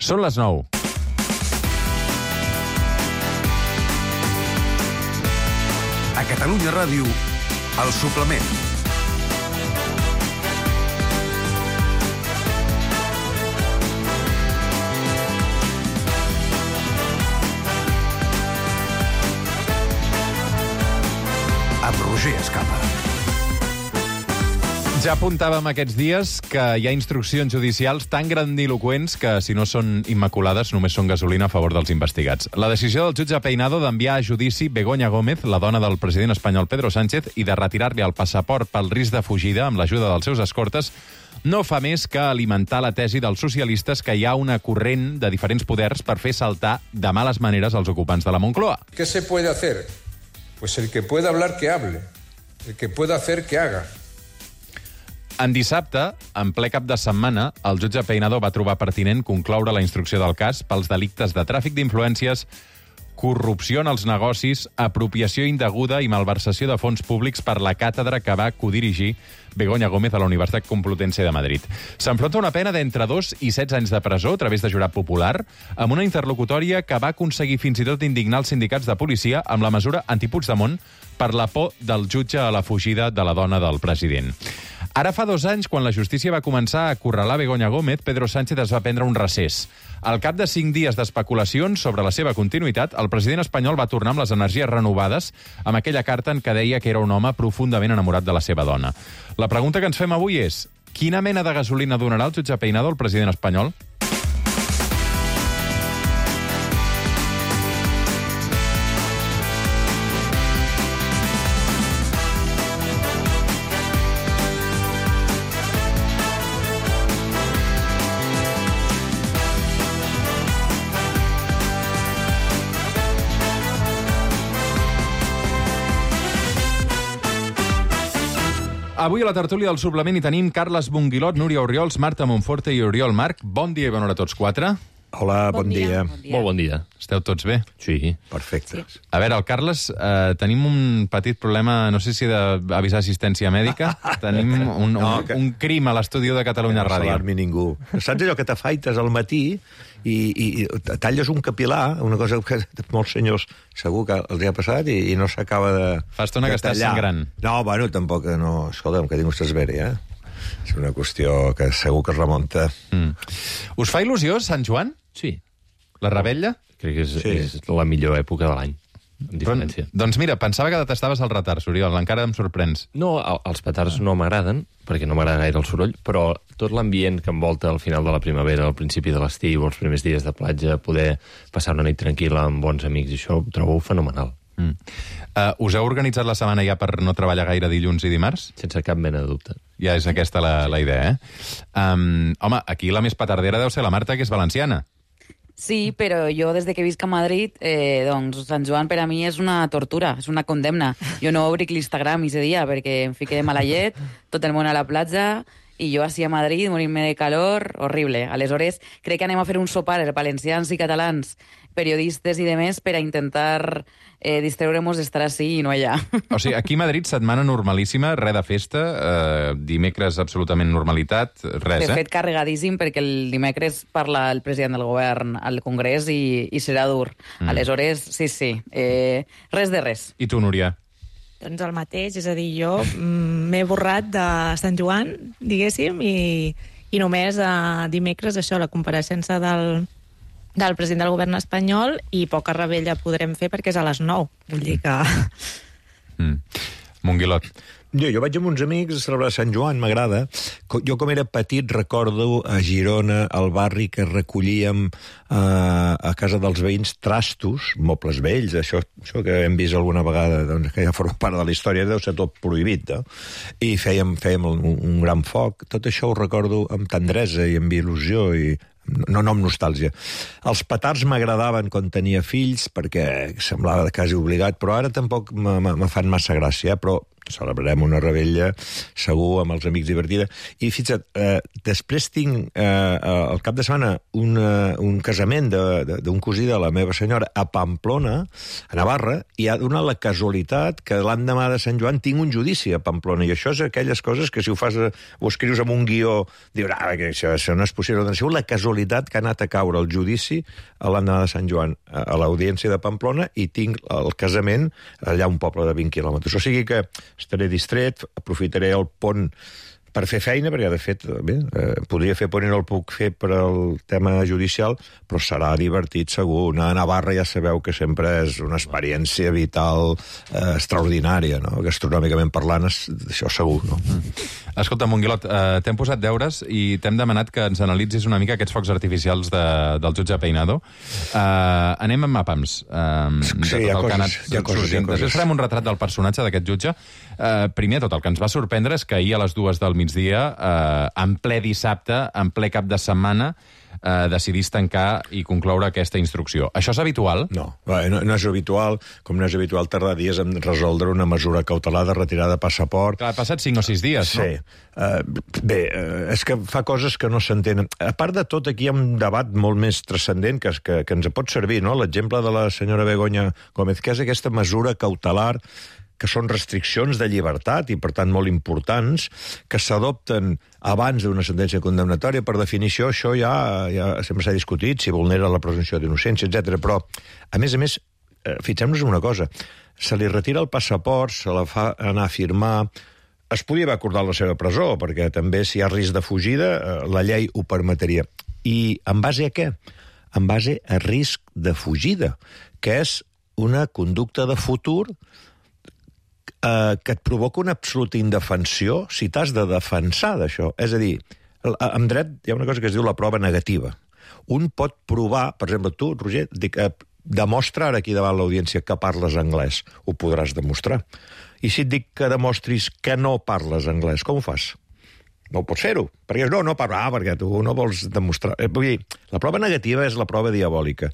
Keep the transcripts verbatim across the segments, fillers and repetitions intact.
Són les nou. A Catalunya Ràdio, El Suplement. Amb Roger Escapa. Ja apuntàvem aquests dies que hi ha instruccions judicials tan grandiloquents que, si no són immaculades, només són gasolina a favor dels investigats. La decisió del jutge Peinado d'enviar a judici Begoña Gómez, la dona del president espanyol Pedro Sánchez, i de retirar-li el passaport pel risc de fugida amb l'ajuda dels seus escortes, no fa més que alimentar la tesi dels socialistes que hi ha una corrent de diferents poders per fer saltar de males maneres els ocupants de la Moncloa. ¿Qué se puede hacer? Pues el que pueda hablar, que hable. El que pueda hacer, que haga. En dissabte, en ple cap de setmana, el jutge Peinado va trobar pertinent concloure la instrucció del cas pels delictes de tràfic d'influències, corrupció en els negocis, apropiació indeguda i malversació de fons públics per la càtedra que va codirigir Begoña Gómez a la Universitat Complutense de Madrid. S'enfronta una pena d'entre dos i setze anys de presó a través de jurat popular, amb una interlocutòria que va aconseguir fins i tot indignar els sindicats de policia amb la mesura anti-Puigdemont per la por del jutge a la fugida de la dona del president. Ara fa dos anys, quan la justícia va començar a acorralar Begoña Gómez, Pedro Sánchez es va prendre un recés. Al cap de cinc dies d'especulacions sobre la seva continuïtat, el president espanyol va tornar amb les energies renovades amb aquella carta en què deia que era un home profundament enamorat de la seva dona. La pregunta que ens fem avui és: quina mena de gasolina donarà el jutge Peinado al president espanyol? Avui a la tertúlia del suplement hi tenim Carles Bonguilot, Núria Orriols, Marta Monforte i Oriol Marc. Bon dia i bona hora a tots quatre. Hola, bon, bon dia. dia. Molt bon dia. Esteu tots bé? Sí. Perfecte. Sí. A veure, el Carles, eh, tenim un petit problema, no sé si d'avisar assistència mèdica. Tenim un, un, No, que- un crim a l'estudi de Catalunya No Ràdio. s'alarmi ningú. Saps allò que t'afaites al matí i, i, i talles un capil·lar, una cosa que molts senyors segur que els ha passat i, i no s'acaba de Fa estona de que estàs tallar. sangrant. No, bueno, tampoc, no. Escolta'm, que tinc vostès bé, eh? És una qüestió que segur que es remunta. Mm. Us fa il·lusió Sant Joan? Sí. La rebella? Crec que és, Sí. és la millor època de l'any, amb diferència. Doncs mira, pensava que detestaves el retard, Oriol, encara em sorprens. No, el- els petards no m'agraden, perquè no m'agrada gaire el soroll, però tot l'ambient que envolta al final de la primavera, al principi de l'estiu, els primers dies de platja, poder passar una nit tranquil·la amb bons amics, i això ho trobo fenomenal, Mm. Uh, us heu organitzat la setmana ja per no treballar gaire dilluns i dimarts? sense cap mena de dubte. Ja és aquesta la, la idea, eh? Um, home, aquí la més petardera deu ser la Marta, que és valenciana. Sí, però jo des de que visc a Madrid, eh, doncs Sant Joan per a mi és una tortura, és una condemna. Jo no obric l'Instagram aquest dia perquè em fiqué de mala llet, tot el món a la platja, i jo així a Madrid, morint-me de calor, horrible. Aleshores, crec que anem a fer un sopar, els valencians i catalans, periodistes i demés, per a intentar eh, distreure-nos d'estar així i no allà. O sigui, aquí a Madrid, setmana normalíssima, res de festa, eh, dimecres absolutament normalitat, res, De eh? fet, carregadíssim, perquè el dimecres parla el president del govern al Congrés i, i serà dur. Mm. Aleshores, sí, sí, eh, res de res. I tu, Núria? Doncs el mateix, és a dir, jo mm, m'he borrat de Sant Joan, diguéssim, i, i només a dimecres, això, la compareixença del, del president del govern espanyol, i poca rebella podrem fer perquè és a les nou. Vull dir que... Mm. Monguilot. Jo, jo vaig amb uns amics a celebrar Sant Joan, m'agrada. Co- Jo, com era petit, recordo a Girona, al barri, que recollíem eh, a casa dels veïns trastos, mobles vells, això, això que hem vist alguna vegada, doncs, que ja forma part de la història, deu ser tot prohibit, no? I fèiem, fèiem un, un gran foc. Tot això ho recordo amb tendresa i amb il·lusió i no, no amb nostàlgia. Els petards m'agradaven quan tenia fills perquè semblava quasi obligat, però ara tampoc me, me, me fan massa gràcia, eh? Però celebrarem una rebella segur amb els amics divertida. I fixa't, eh, després tinc eh, al cap de setmana una, un casament d'un cosí de la meva senyora a Pamplona, a Navarra, i ha donat la casualitat que l'endemà de Sant Joan tinc un judici a Pamplona, i això és aquelles coses que si ho fas, ho escrius amb un guió, dius, ah, que això, això no és possible. Doncs la casualitat que ha anat a caure el judici a l'endemà de Sant Joan a l'audiència de Pamplona, i tinc el casament allà a un poble de vint quilòmetres. O sigui que estaré distret, aprofitaré el pont per fer feina, perquè, de fet, bé, eh, podria fer pont i no el puc fer per al tema judicial, però serà divertit, segur. Anar a Navarra ja sabeu que sempre és una experiència vital eh, extraordinària, no? Gastronòmicament parlant, això segur, no? Mm. Escolta, Monguilot, eh, t'hem posat deures i t'hem demanat que ens analitzis una mica aquests focs artificials de, del jutge Peinado. Eh, anem amb mapams. Eh, sí, hi ha coses, hi ha coses, hi ha coses. Després farem un retrat del personatge d'aquest jutge. Eh, primer de tot, el que ens va sorprendre és que ahir a les dues del migdia, eh, en ple dissabte, en ple cap de setmana, eh, decidís tancar i concloure aquesta instrucció. Això és habitual? No, no, no és habitual, com no és habitual tardar dies en resoldre una mesura cautelar de retirada de passaport. Clar, ha passat cinc o sis dies, sí. No? Sí. Uh, bé, uh, és que fa coses que no s'entenen. A part de tot, aquí hi ha un debat molt més transcendent que, que, que ens pot servir, no? L'exemple de la senyora Begoña Gómez, que és aquesta mesura cautelar que són restriccions de llibertat i, per tant, molt importants, que s'adopten abans d'una sentència condemnatòria. Per definició, això ja, ja sempre s'ha discutit, si vulnera la presumpció d'innocència, etcètera. Però, a més a més, eh, fixem-nos en una cosa, se li retira el passaport, se la fa anar a firmar, es podia haver acordat la seva presó, perquè també, si hi ha risc de fugida, eh, la llei ho permetria. I en base a què? En base a risc de fugida, que és una conducta de futur eh, que et provoca una absoluta indefensió si t'has de defensar d'això. És a dir, en dret hi ha una cosa que es diu la prova negativa. Un pot provar, per exemple, tu, Roger, dic, eh, demostra ara aquí davant l'audiència que parles anglès. Ho podràs demostrar. I si et dic que demostris que no parles anglès, com ho fas? No pots fer-ho, perquè no, no parlar, ah, perquè tu no vols demostrar... Eh, vull dir, la prova negativa és la prova diabòlica.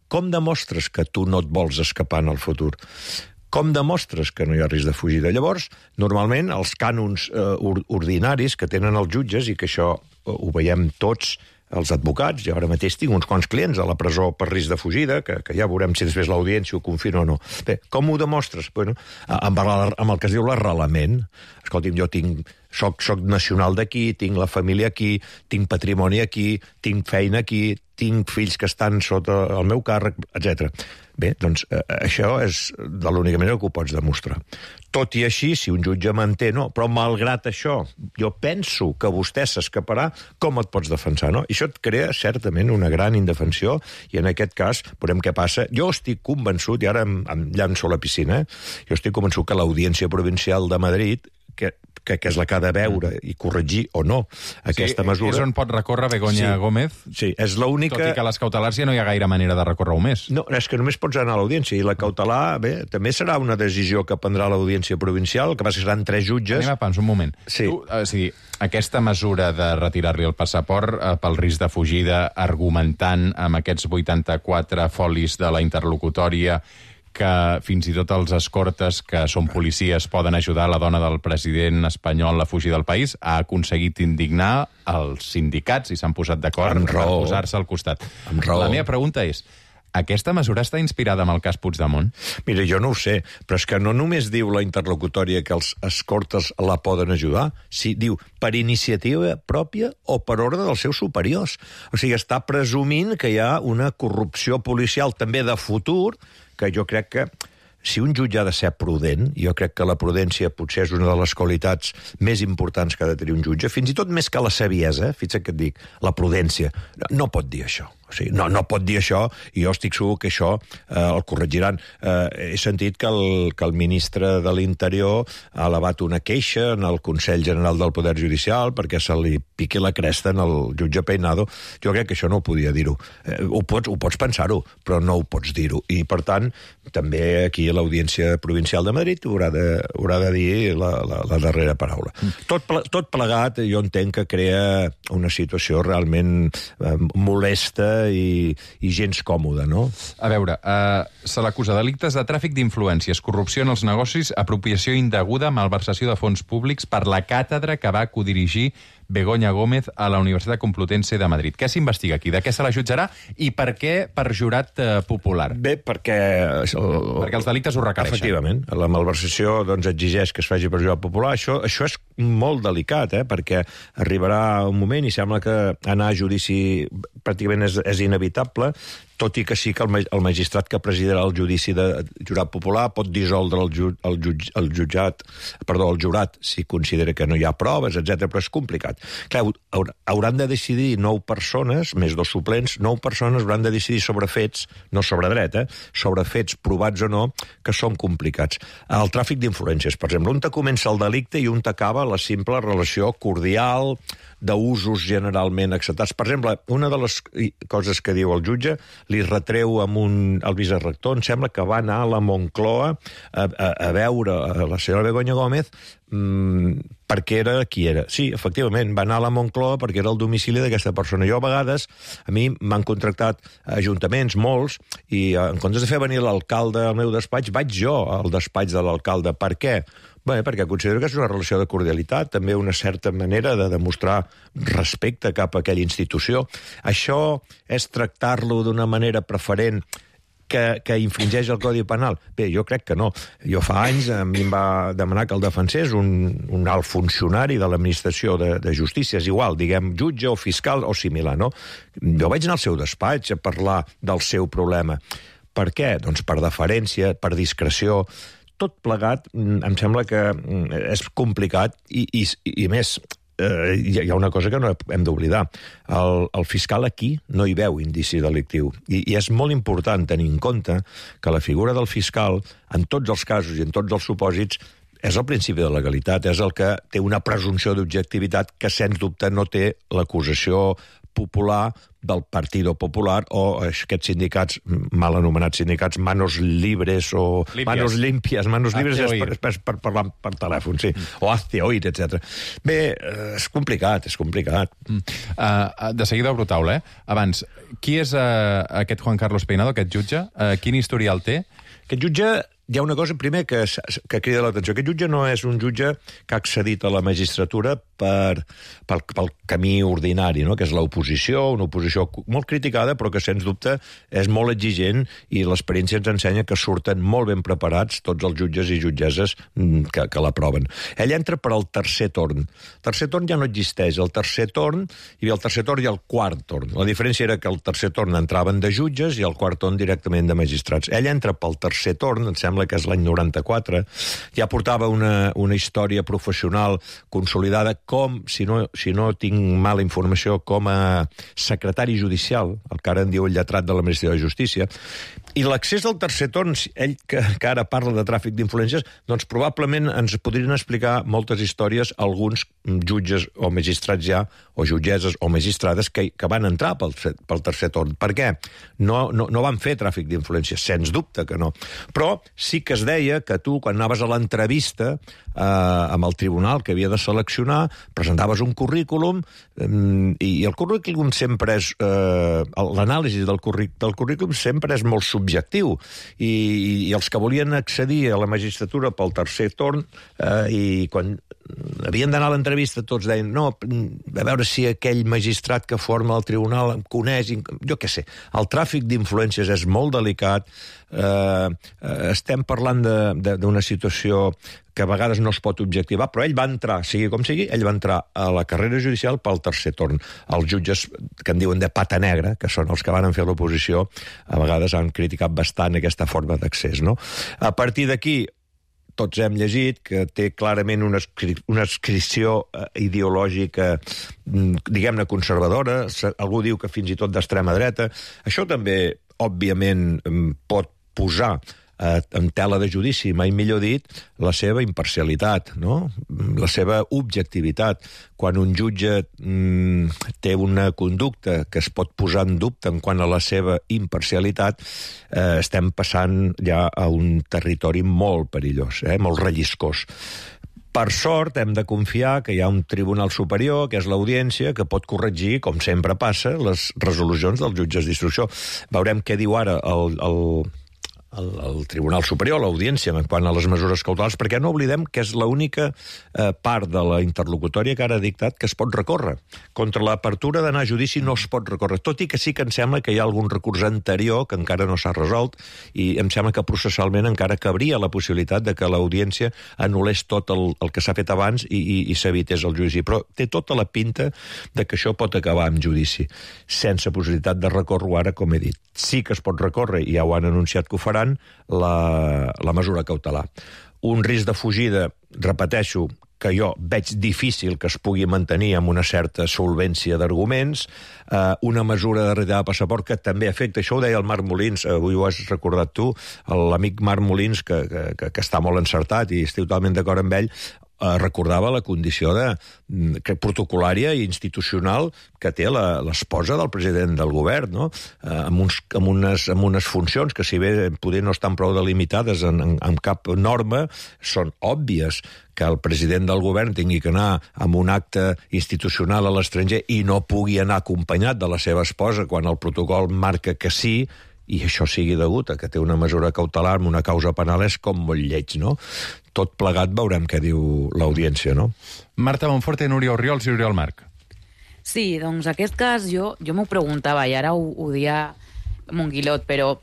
Com demostres que tu no et vols escapar en el futur? Com demostres que no hi ha risc de fugida? Llavors, normalment, els cànons eh, ordinaris que tenen els jutges, i que això eh, ho veiem tots els advocats, jo ara mateix tinc uns quants clients a la presó per risc de fugida, que, que ja veurem si després l'audiència ho confirma o no. Bé, com ho demostres? Bueno, amb, el, amb el que es diu l'arrelament. Escolti'm, jo tinc, soc, soc nacional d'aquí, tinc la família aquí, tinc patrimoni aquí, tinc feina aquí, tinc fills que estan sota el meu càrrec, etcètera. Bé, doncs eh, això és de l'única manera que ho pots demostrar. Tot i així, si un jutge manté, no, però malgrat això, jo penso que vostè s'escaparà, com et pots defensar, no? I això et crea certament una gran indefensió, i en aquest cas, veurem què passa. Jo estic convençut, i ara em, em llanço a la piscina, eh? jo estic convençut que l'Audiència Provincial de Madrid, que que, que és la que ha de veure i corregir o no aquesta sí, mesura... És on pot recórrer Begoña sí, Gómez, sí, és l'única... tot i que a les cautelars ja no hi ha gaire manera de recórrer-ho més. No, és que només pots anar a l'audiència, i la cautelar, bé, també serà una decisió que prendrà l'Audiència Provincial, que passa que seran tres jutges... Anem a pans, un moment. Sí. Tu, o sigui, aquesta mesura de retirar-li el passaport eh, pel risc de fugida, argumentant amb aquests vuitanta-quatre folis de la interlocutòria que fins i tot els escortes, que són policies, poden ajudar la dona del president espanyol a fugir del país, ha aconseguit indignar els sindicats i s'han posat d'acord per posar-se al costat. La meva pregunta és, aquesta mesura està inspirada en el cas Puigdemont? Mira, jo no ho sé, però és que no només diu la interlocutòria que els escortes la poden ajudar, si diu per iniciativa pròpia o per ordre dels seus superiors. O sigui, està presumint que hi ha una corrupció policial també de futur, que jo crec que si un jutge ha de ser prudent, jo crec que la prudència potser és una de les qualitats més importants que ha de tenir un jutge, fins i tot més que la saviesa, fixa't que et dic, la prudència, no pot dir això. O sigui, no, no pot dir això, i jo estic segur que això eh, el corregiran. Eh, he sentit que el, que el ministre de l'Interior ha elevat una queixa en el Consell General del Poder Judicial perquè se li piqui la cresta en el jutge Peinado. Jo crec que això no ho podia dir-ho. Eh, ho pots, ho pots pensar-ho, però no ho pots dir-ho. I, per tant, també aquí a l'Audiència Provincial de Madrid haurà de, haurà de dir la, la, la darrera paraula. Mm. Tot, ple, tot plegat, jo entenc que crea una situació realment eh, molesta delicada i, i gens còmoda, no? A veure, uh, se l'acusa de delictes de tràfic d'influències, corrupció en els negocis, apropiació indeguda, malversació de fons públics per la càtedra que va codirigir Begoña Gómez a la Universitat Complutense de Madrid. Què s'investiga aquí? De què se la jutjarà? I per què per jurat eh, popular? Bé, perquè... El, perquè els delictes ho requereixen. Efectivament. La malversació doncs, exigeix que es faci per jurat popular. Això, això és molt delicat, eh? Perquè arribarà un moment i sembla que anar a judici pràcticament és, és inevitable, tot i que sí que el, el magistrat que presidirà el judici de jurat popular pot dissoldre el, ju, el, jutj, el jutjat, perdó, el jurat, si considera que no hi ha proves, etcètera, però és complicat. Clar, hauran de decidir nou persones, més dos suplents, nou persones hauran de decidir sobre fets, no sobre dret, eh? Sobre fets provats o no, que són complicats. El tràfic d'influències, per exemple, un te comença el delicte i un t'acaba la simple relació cordial, d'usos generalment acceptats. Per exemple, una de les coses que diu el jutge li retreu amb un, el vicerector, em sembla que va anar a la Moncloa a, a, a veure a la senyora Begoña Gómez mmm, perquè era qui era. Sí, efectivament, va anar a la Moncloa perquè era el domicili d'aquesta persona. Jo, a vegades, a mi m'han contractat ajuntaments, molts, i en comptes de fer venir l'alcalde al meu despatx, vaig jo al despatx de l'alcalde. Per què? Bé, perquè considero que és una relació de cordialitat, també una certa manera de demostrar respecte cap a aquella institució. Això és tractar-lo d'una manera preferent que, que infringeix el Codi Penal? Bé, jo crec que no. Jo fa anys a mi em va demanar que el defensés un, un alt funcionari de l'administració de, de justícia, és igual, diguem, jutge o fiscal o similar, no? Jo vaig anar al seu despatx a parlar del seu problema. Per què? Doncs per deferència, per discreció. Tot plegat, em sembla que és complicat i, i, i més, eh, hi ha una cosa que no hem d'oblidar. El, el fiscal aquí no hi veu indici delictiu. I, I és molt important tenir en compte que la figura del fiscal, en tots els casos i en tots els supòsits, és el principi de legalitat, és el que té una presumpció d'objectivitat que, sens dubte, no té l'acusació popular del Partido Popular o aquests sindicats, mal anomenats sindicats, manos libres o Limpias. manos limpias, manos libres és per, per, per parlar per telèfon, sí, mm. o hazte oír, etcètera. Bé, és complicat, és complicat. Mm. Uh, de seguida obro taula, eh? Abans, qui és uh, aquest Juan Carlos Peinado, aquest jutge? Uh, quin historial té? Aquest jutge, hi ha una cosa, primer, que, que crida l'atenció. Aquest jutge no és un jutge que ha accedit a la magistratura per, pel, pel camí ordinari, no? Que és l'oposició, una oposició molt criticada, però que, sens dubte, és molt exigent i l'experiència ens ensenya que surten molt ben preparats tots els jutges i jutgesses que, que l'aproven. Ell entra per al tercer torn. El tercer torn ja no existeix. El tercer torn, hi havia el tercer torn i el quart torn. La diferència era que el tercer torn entraven de jutges i el quart torn directament de magistrats. Ell entra pel tercer torn, em sembla que és l'any noranta-quatre, ja portava una, una història professional consolidada com, si no, si no tinc mala informació, com a secretari judicial, el que ara en diu el lletrat de l'Administració de Justícia. I l'accés al tercer torn, ell que, que ara parla de tràfic d'influències, doncs probablement ens podrien explicar moltes històries alguns jutges o magistrats ja, o jutgesses o magistrades que, que van entrar pel, pel tercer torn. Per què? No, no, no van fer tràfic d'influències, sens dubte que no. Però sí que es deia que tu, quan anaves a l'entrevista eh, amb el tribunal que havia de seleccionar, presentaves un currículum eh, i, i el currículum sempre és... Eh, l'anàlisi del, curríc, del currículum sempre és molt subjectiu i, i els que volien accedir a la magistratura pel tercer torn eh, i quan havien d'anar a l'entrevista tots deien no, a veure si aquell magistrat que forma el tribunal em coneix, jo què sé. El tràfic d'influències és molt delicat, eh, estem parlant d'una situació que a vegades no es pot objectivar, però ell va entrar, sigui com sigui, ell va entrar a la carrera judicial pel tercer torn. Els jutges que en diuen de pata negra, que són els que van fer l'oposició, a vegades han criticat bastant aquesta forma d'accés, no? A partir d'aquí, tots hem llegit que té clarament una, una adscripció ideològica, diguem-ne, conservadora, algú diu que fins i tot d'extrema dreta. Això també, òbviament, pot posar en tela de judici, mai millor dit, la seva imparcialitat, no? La seva objectivitat. Quan un jutge mm, té una conducta que es pot posar en dubte en quant a la seva imparcialitat, eh, estem passant ja a un territori molt perillós, eh, molt relliscós. Per sort, hem de confiar que hi ha un tribunal superior, que és l'Audiència, que pot corregir, com sempre passa, les resolucions dels jutges d'instrucció. Veurem què diu ara el, el, el, el Tribunal Superior, l'Audiència, en quant a les mesures cautelars, perquè no oblidem que és l'única eh, part de la interlocutòria que ara ha dictat que es pot recórrer. Contra l'apertura d'anar a judici no es pot recórrer, tot i que sí que em sembla que hi ha algun recurs anterior que encara no s'ha resolt, i em sembla que processalment encara cabria la possibilitat de que l'Audiència anul·lés tot el, el que s'ha fet abans i, i, i s'evités el judici. Però té tota la pinta de que això pot acabar amb judici, sense possibilitat de recórrer ara, com he dit. Sí que es pot recórrer, i ja ho han anunciat que ho faran, la, la mesura cautelar. Un risc de fugida, repeteixo, que jo veig difícil que es pugui mantenir amb una certa solvència d'arguments, eh, una mesura de retirada de passaport que també afecta, això ho deia el Marc Molins, avui ho has recordat tu, l'amic Marc Molins, que, que, que està molt encertat i estic totalment d'acord amb ell, eh, recordava la condició de, que protocolària i institucional que té l'esposa del president del govern, no? eh, amb, uns, amb, unes, amb unes funcions que, si bé poder no estan prou delimitades en, en, en cap norma, són òbvies. Que el president del govern tingui que anar amb un acte institucional a l'estranger i no pugui anar acompanyat de la seva esposa quan el protocol marca que sí, i això sigui degut a que té una mesura cautelar amb una causa penal, és com molt lleig, no? Tot plegat veurem què diu l'Audiència, no? Marta Monforte, Núria Orriols i Oriol Marc. Sí, doncs aquest cas jo, jo m'ho preguntava, i ara ho, ho dia Monguilot, però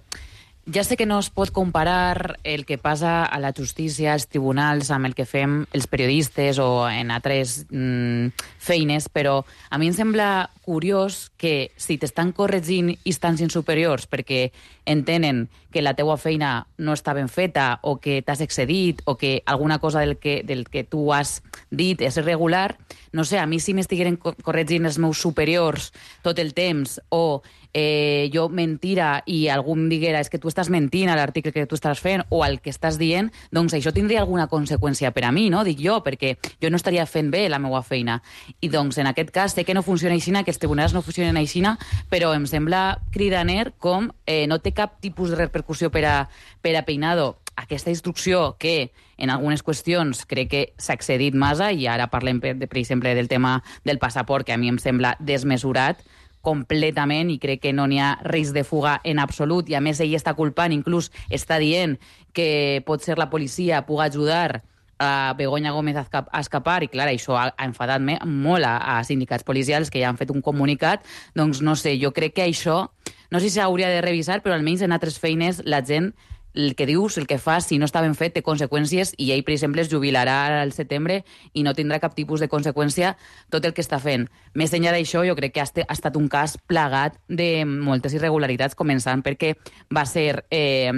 ja sé que no es pot comparar el que passa a la justícia, als tribunals, amb el que fem els periodistes o en altres mm, feines, però a mi em sembla curiós que si t'estan corregint instàncies superiors perquè entenen que la teua feina no està ben feta o que t'has excedit o que alguna cosa del que, del que tu has dit és irregular, no sé, a mi si m'estigueren corregint els meus superiors tot el temps o eh, jo mentira i algú em diguera és que tu estàs mentint a l'article que tu estàs fent o al que estàs dient, doncs això tindria alguna conseqüència per a mi, no? Dic jo, perquè jo no estaria fent bé la meva feina. I doncs en aquest cas sé que no funciona així, que els tribunals no funcionen així, però em sembla cridaner com eh, no té cap tipus de repercussió per a, per a Peinado aquesta instrucció que en algunes qüestions crec que s'ha excedit massa, i ara parlem, per, per exemple, del tema del passaport, que a mi em sembla desmesurat completament i crec que no n'hi ha risc de fuga en absolut, i a més ell està culpant, inclús està dient que pot ser la policia pugui ajudar a Begoña Gómez a escapar, i clar, això ha, ha enfadat molt a, a sindicats policials que ja han fet un comunicat. Doncs no sé, jo crec que això no sé si s'hauria de revisar, però almenys en altres feines la gent el que dius, el que fas, si no està ben fet, té conseqüències, i ell, per exemple, es jubilarà al setembre i no tindrà cap tipus de conseqüència tot el que està fent. Més enllà d'això, jo crec que ha, ha estat un cas plagat de moltes irregularitats, començant perquè va ser eh,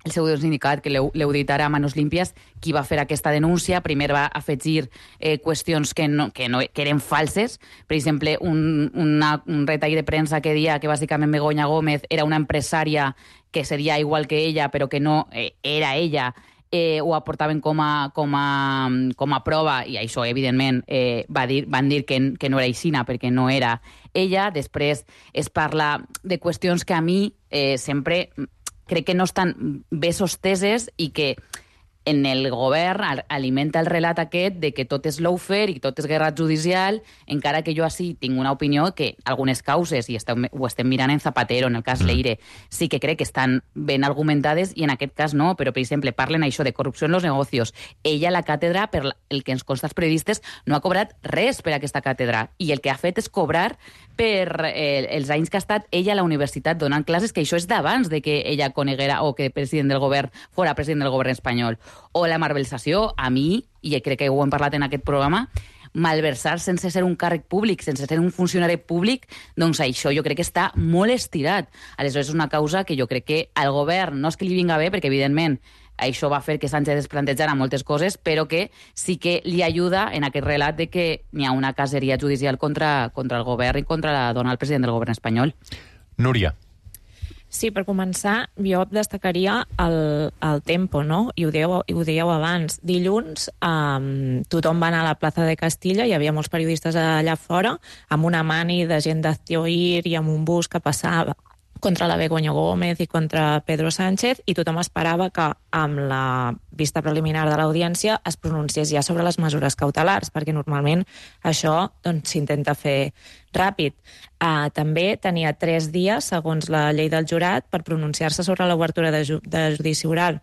el seu sindicat, que l'heu dit ara a Manos Límpies, qui va fer aquesta denúncia. Primer va afegir eh, qüestions que, no, que, no, que eren falses. Per exemple, un, una, un retall de premsa que deia que bàsicament Begoña Gómez era una empresària que seria igual que ella, però que no eh, era ella, eh, ho aportaven com a, com, a, com a prova, i això, evidentment, eh, va dir, van dir que, que no era aixina, perquè no era ella. Després es parla de qüestions que a mi eh, sempre crec que no estan bé sosteses i que en el govern alimenta el relat aquest de que tot és lawfare i tot és guerra judicial, encara que jo així tinc una opinió que algunes causes, i estem, ho estem mirant en Zapatero, en el cas Leire, sí que crec que estan ben argumentades, i en aquest cas no, però, per exemple, parlen això de corrupció en los negocios. Ella, la càtedra, per el que ens consta els periodistes, no ha cobrat res per aquesta càtedra, i el que ha fet és cobrar per eh, els anys que ha estat ella a la universitat donant classes, que això és d'abans de que ella coneguera o que el president del govern fora president del govern espanyol. O la malversació, a mi, i crec que ho hem parlat en aquest programa, malversar sense ser un càrrec públic, sense ser un funcionari públic, doncs això jo crec que està molt estirat. Aleshores és una causa que jo crec que al govern no és que li vinga bé, perquè evidentment això va fer que Sánchez es plantejara moltes coses, però que sí que li ajuda en aquest relat de que n'hi ha una caseria judicial contra, contra el govern i contra la dona del president del govern espanyol. Núria. Sí, per començar, jo destacaria el, el tempo, no? I ho dèieu, ho dèieu abans. Dilluns um, tothom va anar a la plaça de Castilla, hi havia molts periodistes allà fora, amb una mani de gent d'Aztioir i amb un bus que passava contra la Begoña Gómez i contra Pedro Sánchez, i tothom esperava que amb la vista preliminar de l'audiència es pronunciés ja sobre les mesures cautelars, perquè normalment això doncs, s'intenta fer ràpid. Uh, també tenia tres dies, segons la llei del jurat, per pronunciar-se sobre l'obertura de, ju de judici oral.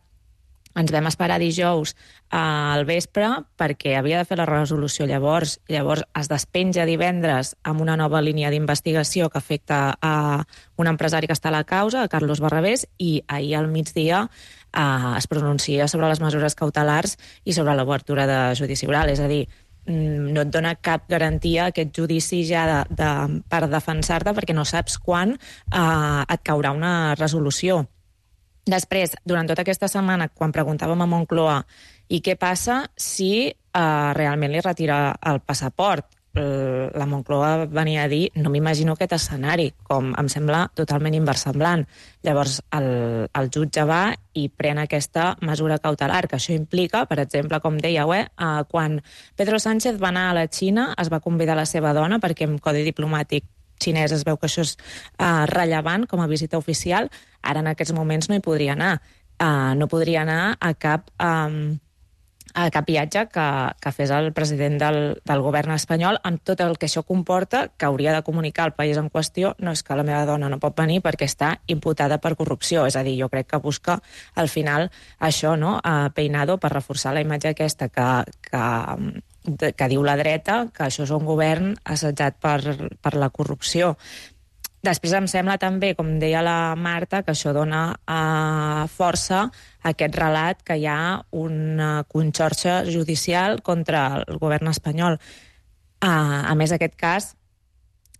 Ens vam esperar dijous al vespre perquè havia de fer la resolució llavors. Llavors es despenja divendres amb una nova línia d'investigació que afecta a un empresari que està a la causa, a Carlos Barrabés, i ahir al migdia eh, es pronuncia sobre les mesures cautelars i sobre l'obertura de judici oral. És a dir, no et dona cap garantia aquest judici ja de, de, per defensar-te, perquè no saps quan eh, et caurà una resolució. Després, durant tota aquesta setmana, quan preguntàvem a Moncloa i què passa si eh, realment li retira el passaport, eh, la Moncloa venia a dir no m'imagino aquest escenari, com em sembla totalment inversemblant. Llavors, el, el jutge va i pren aquesta mesura cautelar, que això implica, per exemple, com dèieu, eh, eh, quan Pedro Sánchez va anar a la Xina, es va convidar la seva dona, perquè en codi diplomàtic xinès es veu que això és uh, rellevant com a visita oficial. Ara en aquests moments no hi podria anar. Uh, no podria anar a cap, um, a cap viatge que, que fes el president del, del govern espanyol, amb tot el que això comporta, que hauria de comunicar al país en qüestió. No és que la meva dona no pot venir perquè està imputada per corrupció. És a dir, jo crec que busca al final això, no? Uh, Peinado, per reforçar la imatge aquesta que... que que diu la dreta, que això és un govern assetjat per, per la corrupció. Després em sembla també, com deia la Marta, que això dona eh, força a aquest relat que hi ha una conxorxa judicial contra el govern espanyol. Eh, a més, aquest cas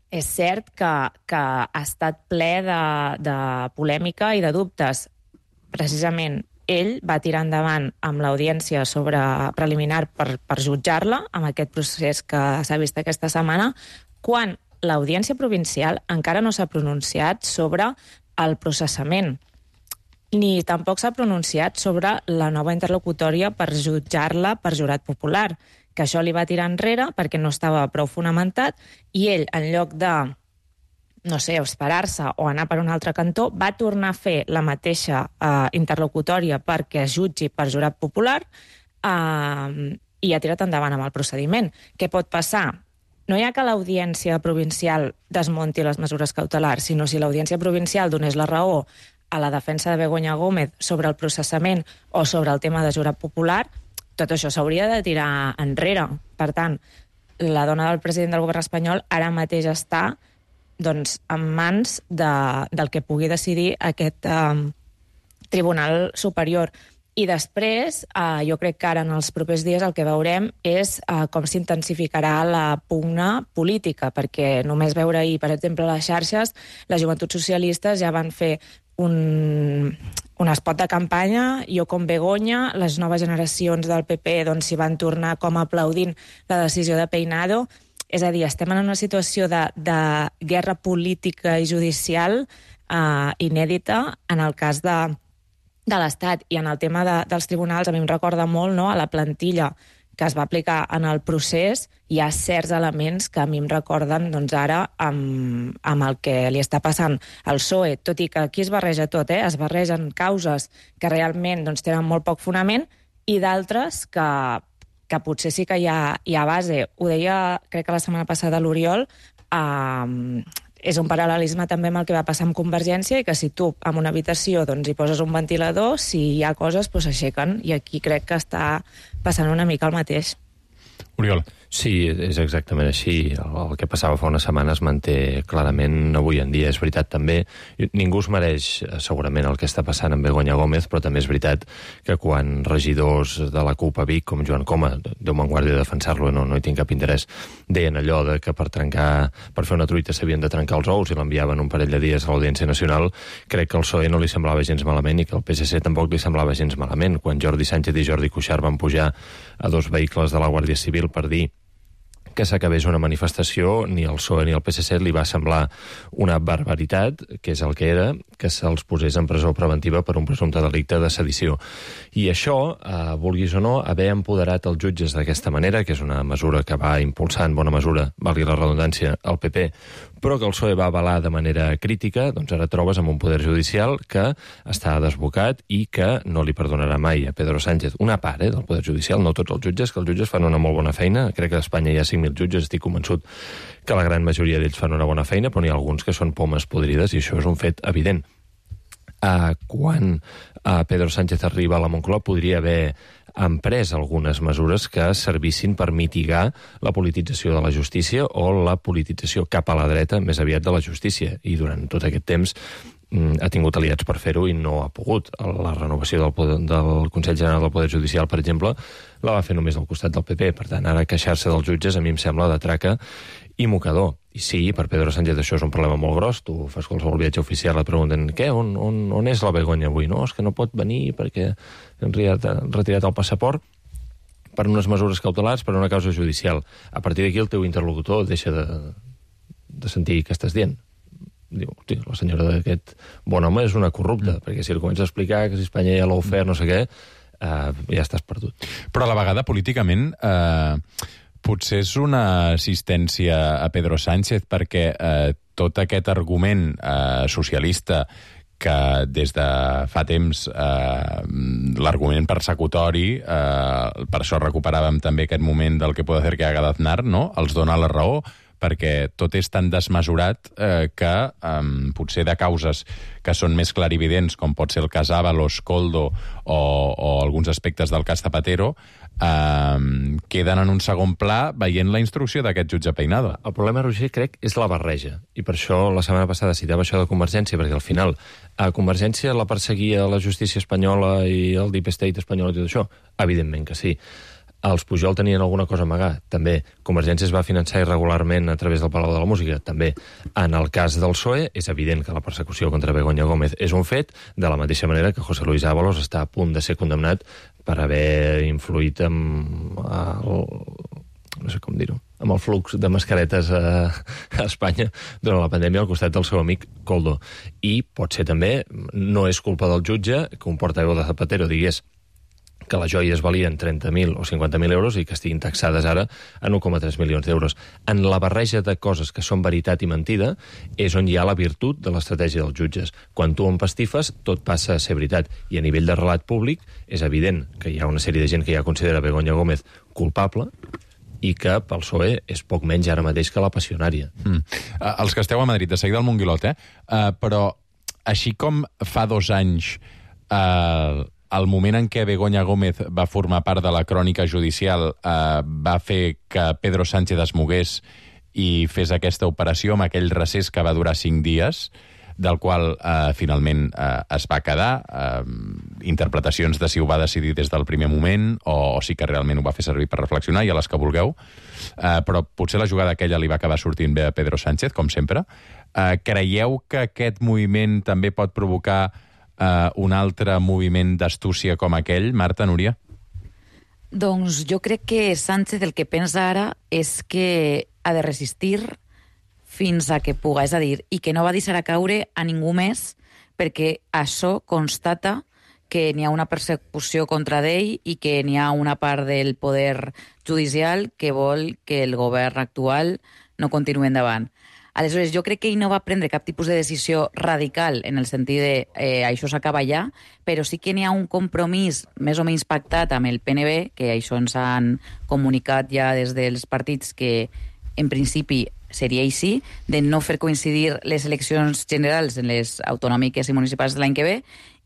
és cert que, que ha estat ple de, de polèmica i de dubtes. Precisament ell va tirar endavant amb l'audiència sobre preliminar per, per jutjar-la, amb aquest procés que s'ha vist aquesta setmana, quan l'audiència provincial encara no s'ha pronunciat sobre el processament, ni tampoc s'ha pronunciat sobre la nova interlocutòria per jutjar-la per jurat popular, que això li va tirar enrere perquè no estava prou fonamentat, i ell, en lloc de no sé, esperar-se o anar per un altre cantó, va tornar a fer la mateixa eh, interlocutòria perquè es jutgi per jurat popular eh, i ha tirat endavant amb el procediment. Què pot passar? No hi ha que l'audiència provincial desmunti les mesures cautelars, sinó si l'audiència provincial donés la raó a la defensa de Begoña Gómez sobre el processament o sobre el tema de jurat popular, tot això s'hauria de tirar enrere. Per tant, la dona del president del govern espanyol ara mateix està doncs, en mans de, del que pugui decidir aquest eh, Tribunal Superior. I després, eh, jo crec que ara en els propers dies el que veurem és eh, com s'intensificarà la pugna política, perquè només veure ahir, per exemple, a les xarxes, les joventuts socialistes ja van fer un, un espot de campanya, jo com Begoña, les noves generacions del P P doncs, s'hi van tornar com aplaudint la decisió de Peinado. És a dir, estem en una situació de, de guerra política i judicial eh, inèdita en el cas de, de l'Estat. I en el tema de, dels tribunals, a mi em recorda molt, no?, a la plantilla que es va aplicar en el procés. Hi ha certs elements que a mi em recorden doncs, ara amb, amb el que li està passant al P S O E, tot i que aquí es barreja tot, eh? Es barregen causes que realment doncs, tenen molt poc fonament i d'altres que que potser sí que hi ha, hi ha base. Ho deia, crec que la setmana passada, l'Oriol, eh, és un paral·lelisme també amb el que va passar amb Convergència, i que si tu en una habitació doncs, hi poses un ventilador, si hi ha coses, doncs s'aixequen, i aquí crec que està passant una mica el mateix. Oriol. Sí, és exactament així. El, el que passava fa una setmana es manté clarament avui en dia. És veritat també, ningú es mereix segurament el que està passant amb Begoña Gómez, però també és veritat que quan regidors de la CUP a Vic, com Joan Coma, Déu me'n guardi de defensar-lo, no, no hi tinc cap interès, deien allò de que per trencar, per fer una truita s'havien de trencar els ous i l'enviaven un parell de dies a l'Audiència Nacional. Crec que al P S O E no li semblava gens malament i que al P S C tampoc li semblava gens malament. Quan Jordi Sánchez i Jordi Cuixart van pujar a dos vehicles de la Guàrdia Civil per dir que s'acabés una manifestació, ni al P S O E ni al P S C li va semblar una barbaritat, que és el que era, que se'ls posés en presó preventiva per un presumpte delicte de sedició. I això, eh, vulguis o no, haver empoderat els jutges d'aquesta manera, que és una mesura que va impulsar en bona mesura, valgui la redundància, el P P, però que el P S O E va avalar de manera crítica, doncs ara trobes amb un poder judicial que està desbocat i que no li perdonarà mai a Pedro Sánchez. Una part eh, del poder judicial, no tots els jutges, que els jutges fan una molt bona feina. Crec que a Espanya hi ha cinc mil jutges, estic convençut que la gran majoria d'ells fan una bona feina, però n'hi ha alguns que són pomes podrides i això és un fet evident. Uh, quan uh, Pedro Sánchez arriba a la Moncloa podria haver emprès algunes mesures que servissin per mitigar la politització de la justícia o la politització cap a la dreta més aviat de la justícia. I durant tot aquest temps mm, ha tingut aliats per fer-ho i no ha pogut. La renovació del, poder, del Consell General del Poder Judicial, per exemple, la va fer només al costat del P P. Per tant, ara queixar-se dels jutges a mi em sembla de traca i mocador. I sí, per Pedro Sánchez això és un problema molt gros. Tu fas qualsevol viatge oficial, et pregunten què, on, on, on és la Begoña avui? No, és que no pot venir perquè han retirat el passaport per unes mesures cautelars, per una causa judicial. A partir d'aquí el teu interlocutor deixa de, de sentir què estàs dient. Diu, hosti, la senyora d'aquest bon home és una corrupta, mm. perquè si el comença a explicar que si Espanya ja l'ha ofert, no sé què, eh, ja estàs perdut. Però a la vegada, políticament, eh, potser és una assistència a Pedro Sánchez perquè eh, tot aquest argument eh, socialista que des de fa temps eh, l'argument persecutori, eh, per això recuperàvem també aquest moment del que puede hacer que haga d'Aznar, no? Els dona la raó, perquè tot és tan desmesurat eh, que eh, potser de causes que són més clarividents, com pot ser el cas Ábalos, Koldo o, o alguns aspectes del cas Zapatero, eh, queden en un segon pla veient la instrucció d'aquest jutge Peinado. El problema, Roger, crec, és la barreja. I per això la setmana passada citava això de Convergència, perquè al final a Convergència la perseguia la justícia espanyola i el Deep State espanyol i tot això? Evidentment que sí. Els Pujol tenien alguna cosa a amagar? També. Convergència es va finançar irregularment a través del Palau de la Música? També. En el cas del P S O E, és evident que la persecució contra Begoña Gómez és un fet, de la mateixa manera que José Luis Ábalos està a punt de ser condemnat per haver influït amb el, no sé com dir-ho, amb el flux de mascaretes a, a Espanya durant la pandèmia al costat del seu amic Koldo. I pot ser també, no és culpa del jutge, que un portaveu de Zapatero digués que les joies valien trenta mil o cinquanta mil euros i que estiguin taxades ara en un coma tres milions d'euros. En la barreja de coses que són veritat i mentida és on hi ha la virtut de l'estratègia dels jutges. Quan tu empastifes, tot passa a ser veritat. I a nivell de relat públic és evident que hi ha una sèrie de gent que ja considera Begoña Gómez culpable i que pel P S O E és poc menys ara mateix que la passionària. Mm. Uh, els que esteu a Madrid, de seguida al Monguilot, eh? Uh, però així com fa dos anys uh, el moment en què Begoña Gómez va formar part de la crònica judicial eh, va fer que Pedro Sánchez es mogués i fes aquesta operació amb aquell recés que va durar cinc dies, del qual eh, finalment eh, es va quedar. Eh, interpretacions de si ho va decidir des del primer moment o, o si que realment ho va fer servir per reflexionar, i a les que vulgueu. Eh, però potser la jugada aquella li va acabar sortint bé a Pedro Sánchez, com sempre. Eh, creieu que aquest moviment també pot provocar Uh, un altre moviment d'astúcia com aquell? Marta, Núria? Doncs jo crec que Sánchez el que pensa ara és que ha de resistir fins a que puga, és a dir, i que no va deixar a caure a ningú més, perquè això constata que n'hi ha una persecució contra d'ell i que n'hi ha una part del poder judicial que vol que el govern actual no continuï endavant. Aleshores, jo crec que ell no va prendre cap tipus de decisió radical en el sentit de eh, això s'acaba ja, però sí que n'hi ha un compromís més o menys pactat amb el P N B, que això ens han comunicat ja des dels partits que en principi seria així, de no fer coincidir les eleccions generals en les autonòmiques i municipals de l'any que ve,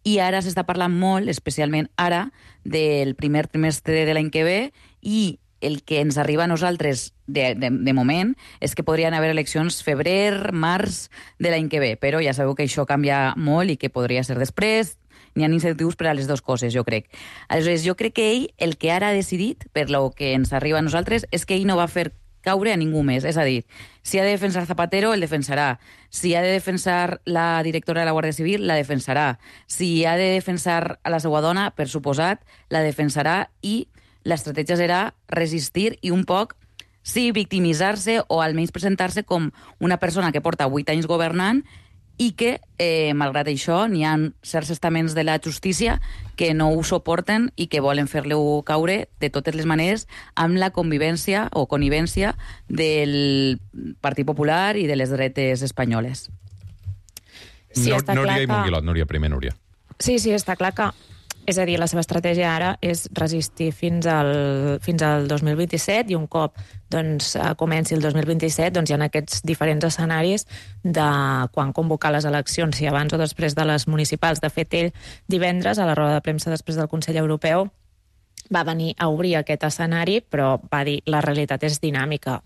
i ara s'està parlant molt, especialment ara, del primer trimestre de l'any que ve, i el que ens arriba a nosaltres de, de, de moment és que podrien haver eleccions febrer, març de l'any que ve, però ja sabeu que això canvia molt i que podria ser després. N'hi ha incentius per a les dues coses, jo crec. Aleshores, jo crec que ell, el que ara ha decidit, per lo que ens arriba a nosaltres, és que ell no va fer caure a ningú més. És a dir, si ha de defensar Zapatero, el defensarà. Si ha de defensar la directora de la Guàrdia Civil, la defensarà. Si ha de defensar a la seva dona, per suposat, la defensarà, i l'estratègia serà resistir i un poc, sí, victimitzar-se o almenys presentar-se com una persona que porta vuit anys governant i que, eh, malgrat això, n'hi ha certs estaments de la justícia que no ho suporten i que volen fer-lo caure de totes les maneres amb la convivència o connivència del Partit Popular i de les dretes espanyoles. Sí, no, està Núria clar i que... Monguilot, Núria, primer Núria. Sí, sí, està clar que... És a dir, la seva estratègia ara és resistir fins al, fins al dos mil vint-i-set i un cop doncs, comenci el dos mil vint-i-set doncs, hi ha aquests diferents escenaris de quan convocar les eleccions, si abans o després de les municipals. De fet, ell divendres, a la roda de premsa després del Consell Europeu, va venir a obrir aquest escenari, però va dir la realitat és dinàmica.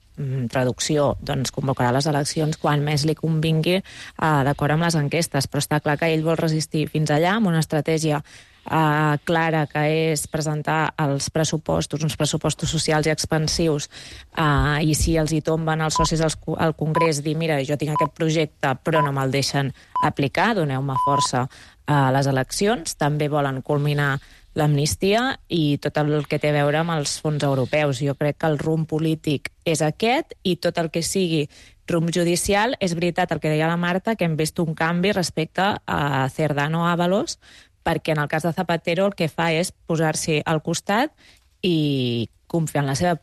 Traducció, doncs convocarà les eleccions quan més li convingui, eh, d'acord amb les enquestes, però està clar que ell vol resistir fins allà amb una estratègia Uh, clara, que és presentar els pressupostos, uns pressupostos socials i expansius, uh, i si els hi tomben els socis al, al Congrés, dir, mira, jo tinc aquest projecte però no me'l deixen aplicar, doneu-me força a les eleccions. També volen culminar l'amnistia i tot el que té a veure amb els fons europeus. Jo crec que el rumb polític és aquest i tot el que sigui rumb judicial, és veritat el que deia la Marta, que hem vist un canvi respecte a Cerdano Ábalos, perquè en el cas de Zapatero el que fa és posar-s'hi al costat i confiar en la seva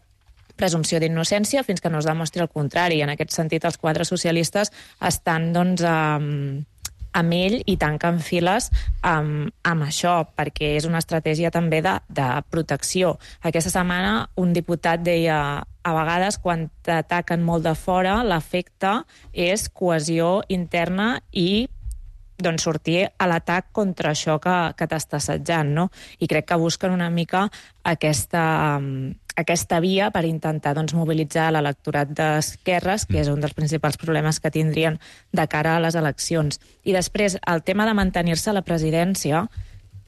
presumpció d'innocència fins que no es demostri el contrari. En aquest sentit, els quadres socialistes estan doncs, amb, amb ell i tanquen files amb, amb això, perquè és una estratègia també de, de protecció. Aquesta setmana un diputat deia a vegades quan t'ataquen molt de fora l'efecte és cohesió interna i doncs sortir a l'atac contra això que, que t'està assetjant, no? I crec que busquen una mica aquesta, aquesta via per intentar doncs, mobilitzar l'electorat d'esquerres, que és un dels principals problemes que tindrien de cara a les eleccions. I després, el tema de mantenir-se a la presidència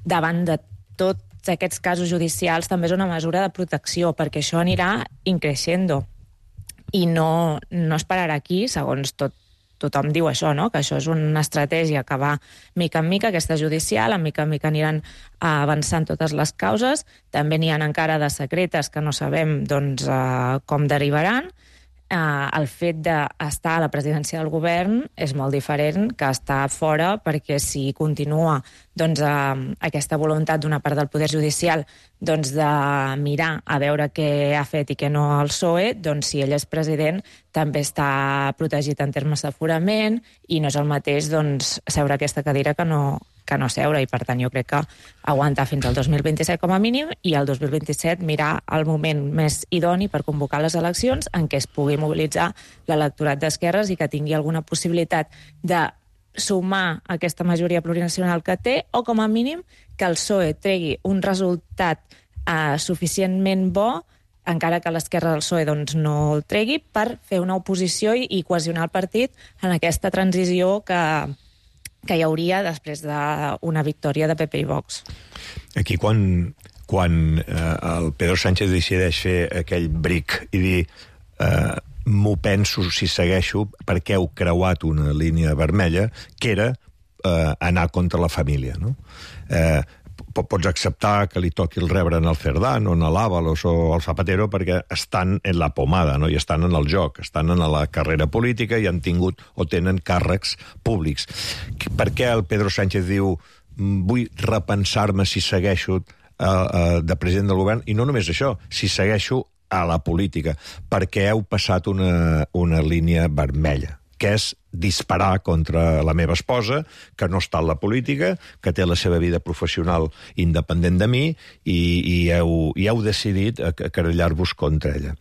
davant de tots aquests casos judicials també és una mesura de protecció, perquè això anirà increixendo. I no, no es pararà aquí, segons tot tothom diu això, no? Que això és una estratègia que va mica en mica, aquesta judicial, en mica en mica aniran avançant totes les causes. També n'hi ha encara de secretes que no sabem doncs, eh, com derivaran. Eh, el fet d'estar a la presidència del govern és molt diferent que estar fora, perquè si continua doncs, eh, aquesta voluntat d'una part del poder judicial doncs, de mirar a veure què ha fet i què no el P S O E, doncs si ell és president també està protegit en termes d'aforament i no és el mateix doncs, seure a aquesta cadira que no, que no seure, i per tant jo crec que aguantar fins al dos mil vint-i-set com a mínim i el dos mil vint-i-set mirar el moment més idoni per convocar les eleccions en què es pugui mobilitzar l'electorat d'esquerres i que tingui alguna possibilitat de sumar aquesta majoria plurinacional que té, o com a mínim que el P S O E tregui un resultat eh, suficientment bo, encara que l'esquerra del P S O E doncs, no el tregui, per fer una oposició i, i cohesionar el partit en aquesta transició que, que hi hauria després d'una victòria de P P i Vox. Aquí quan, quan eh, el Pedro Sánchez decideix fer aquell bric i dir eh, m'ho penso si segueixo perquè heu creuat una línia vermella, que era eh, anar contra la família, no? Eh, pots acceptar que li toqui el rebre en el Cerdán o en l'Ábalos o el Zapatero perquè estan en la pomada, no? I estan en el joc, estan en la carrera política i han tingut o tenen càrrecs públics. Per què el Pedro Sánchez diu vull repensar-me si segueixo eh, eh, de president del govern? I no només això, si segueixo a la política, perquè heu passat una, una línia vermella, que és disparar contra la meva esposa, que no està en la política, que té la seva vida professional independent de mi, i, i, heu, i heu decidit querellar-vos contra ella.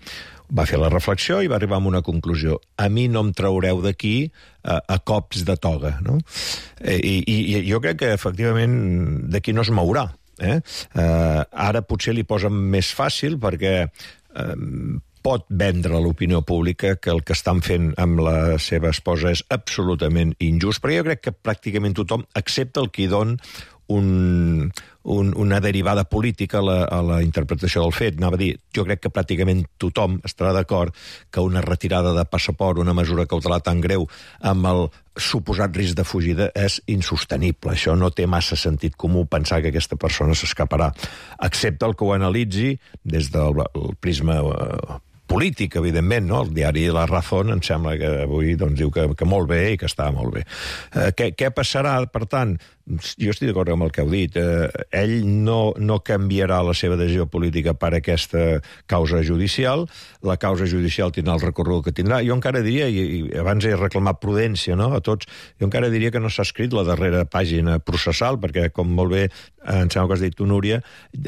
Va fer la reflexió i va arribar a una conclusió. A mi no em traureu d'aquí a, a cops de toga, no? I, i, i jo crec que, efectivament, d'aquí no es mourà. Eh? Uh, ara potser li posen més fàcil perquè uh, pot vendre a l'opinió pública que el que estan fent amb la seva esposa és absolutament injust, però jo crec que pràcticament tothom, excepte el qui don un, un, una derivada política a la, a la interpretació del fet. Anava a dir, jo crec que pràcticament tothom estarà d'acord que una retirada de passaport, una mesura cautelar tan greu amb el suposat risc de fugida és insostenible. Això no té massa sentit comú pensar que aquesta persona s'escaparà, excepte el que ho analitzi des del prisma eh, polític, evidentment, no? El diari La Razón em sembla que avui doncs, diu que, que molt bé i que està molt bé. Eh, què, què passarà, per tant? Jo estic d'acord amb el que heu dit. Eh, ell no, no canviarà la seva decisió política per aquesta causa judicial. La causa judicial tindrà el recorregut que tindrà. Jo encara diria, i, i abans he reclamat prudència, no?, a tots, jo encara diria que no s'ha escrit la darrera pàgina processal, perquè, com molt bé em sembla que has dit tu, Núria,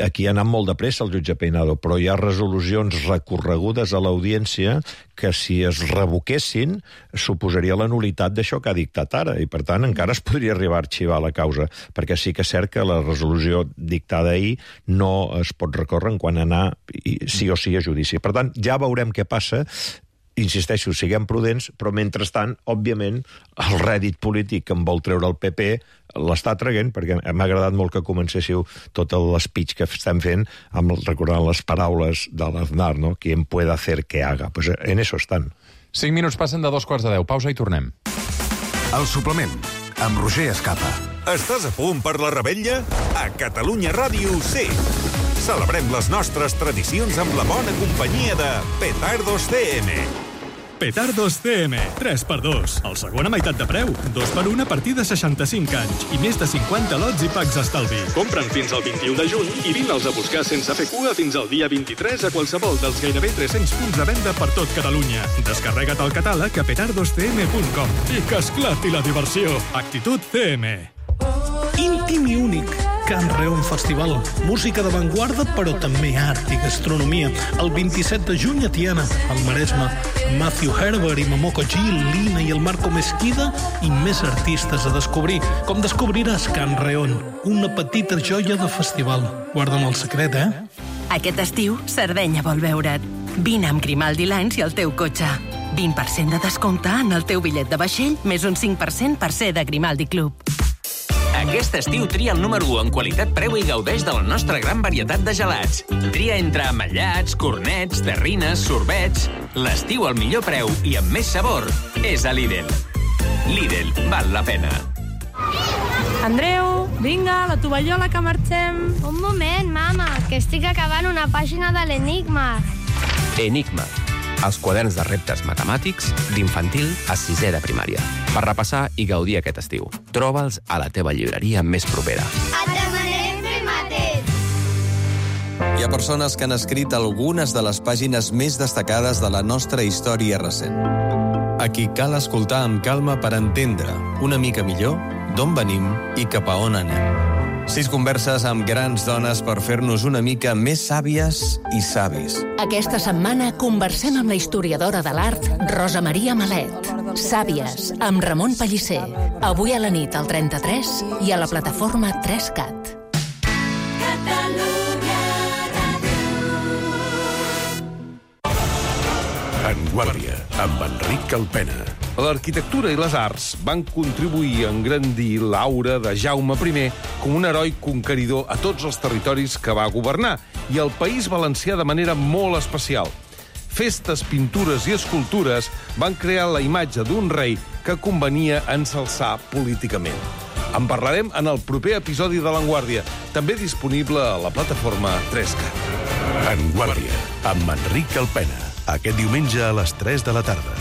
aquí ha anat molt de pressa el jutge Peinado, però hi ha resolucions recorregudes a l'audiència que, si es revoquessin, suposaria la nulitat d'això que ha dictat ara, i per tant encara es podria arribar a arxivar la causa, perquè sí que és cert que la resolució dictada ahir no es pot recórrer en quan anar sí o sí a judici. Per tant, ja veurem què passa. Insisteixo, siguem prudents, però mentrestant, òbviament, el rèdit polític que en vol treure el P P l'està traient, perquè m'ha agradat molt que comencéssiu tot l'espeech que estem fent amb, recordant les paraules de l'Aznar, no? Quien pueda hacer que haga. Pues en eso estan. Cinc minuts passen de dos quarts de deu. Pausa i tornem. El suplement, amb Roger Escapa. Estàs a punt per la revetlla? A Catalunya Ràdio sí. Celebrem les nostres tradicions amb la bona companyia de Petardos C M. Petardos C M, tres per dos. El segon a meitat de preu, dos per un a partir de seixanta-cinc anys i més de cinquanta lots i packs estalvi. Compra'n fins al vint-i-u de juny i vine-els a buscar sense fer cua fins al dia vint-i-tres a qualsevol dels gairebé tres-cents punts de venda per tot Catalunya. Descarrega't el catàleg a petardos c m punt com i que esclati la diversió. Actitud C M. Íntim i únic. Can Reon Festival. Música d'avantguarda, però també art i gastronomia. El vint-i-set de juny a Tiana, al Maresme. Matthew Herbert i Momoko Gil, Lina i el Marco Mesquida i més artistes a descobrir. Com descobriràs Can Reon, una petita joia de festival. Guarda'm el secret, eh? Aquest estiu, Sardenya vol veure't. Vine amb Grimaldi Lines i el teu cotxe. vint per cent de descompte en el teu bitllet de vaixell, més un cinc per cent per ser de Grimaldi Club. Aquest estiu tria el número u en qualitat preu i gaudeix de la nostra gran varietat de gelats. Tria entre ametllats, cornets, terrines, sorbets. L'estiu al millor preu i amb més sabor és a Lidl. Lidl, val la pena. Andreu, vinga, la tovallola que marxem. Un moment, mama, que estic acabant una pàgina de l'Enigma. Enigma, els quaderns de reptes matemàtics d'infantil a sisè de primària. Per repassar i gaudir aquest estiu. Troba'ls a la teva llibreria més propera. Et demanem fer mateix. Hi ha persones que han escrit algunes de les pàgines més destacades de la nostra història recent. A qui cal escoltar amb calma per entendre una mica millor d'on venim i cap a on anem. Sis converses amb grans dones per fer-nos una mica més sàvies i savis. Aquesta setmana conversem amb la historiadora de l'art Rosa Maria Malet. Sàvies, amb Ramon Pellicer. Avui a la nit al trenta-tres i a la plataforma tres cat. En Guàrdia, amb Enric Calpena. L'arquitectura i les arts van contribuir a engrandir l'aura de Jaume primer com un heroi conqueridor a tots els territoris que va governar i al País Valencià de manera molt especial. Festes, pintures i escultures van crear la imatge d'un rei que convenia ensalçar políticament. En parlarem en el proper episodi de l'Enguàrdia, també disponible a la plataforma tres cat. En Guàrdia, amb Enric Calpena. Aquest diumenge a les tres de la tarda.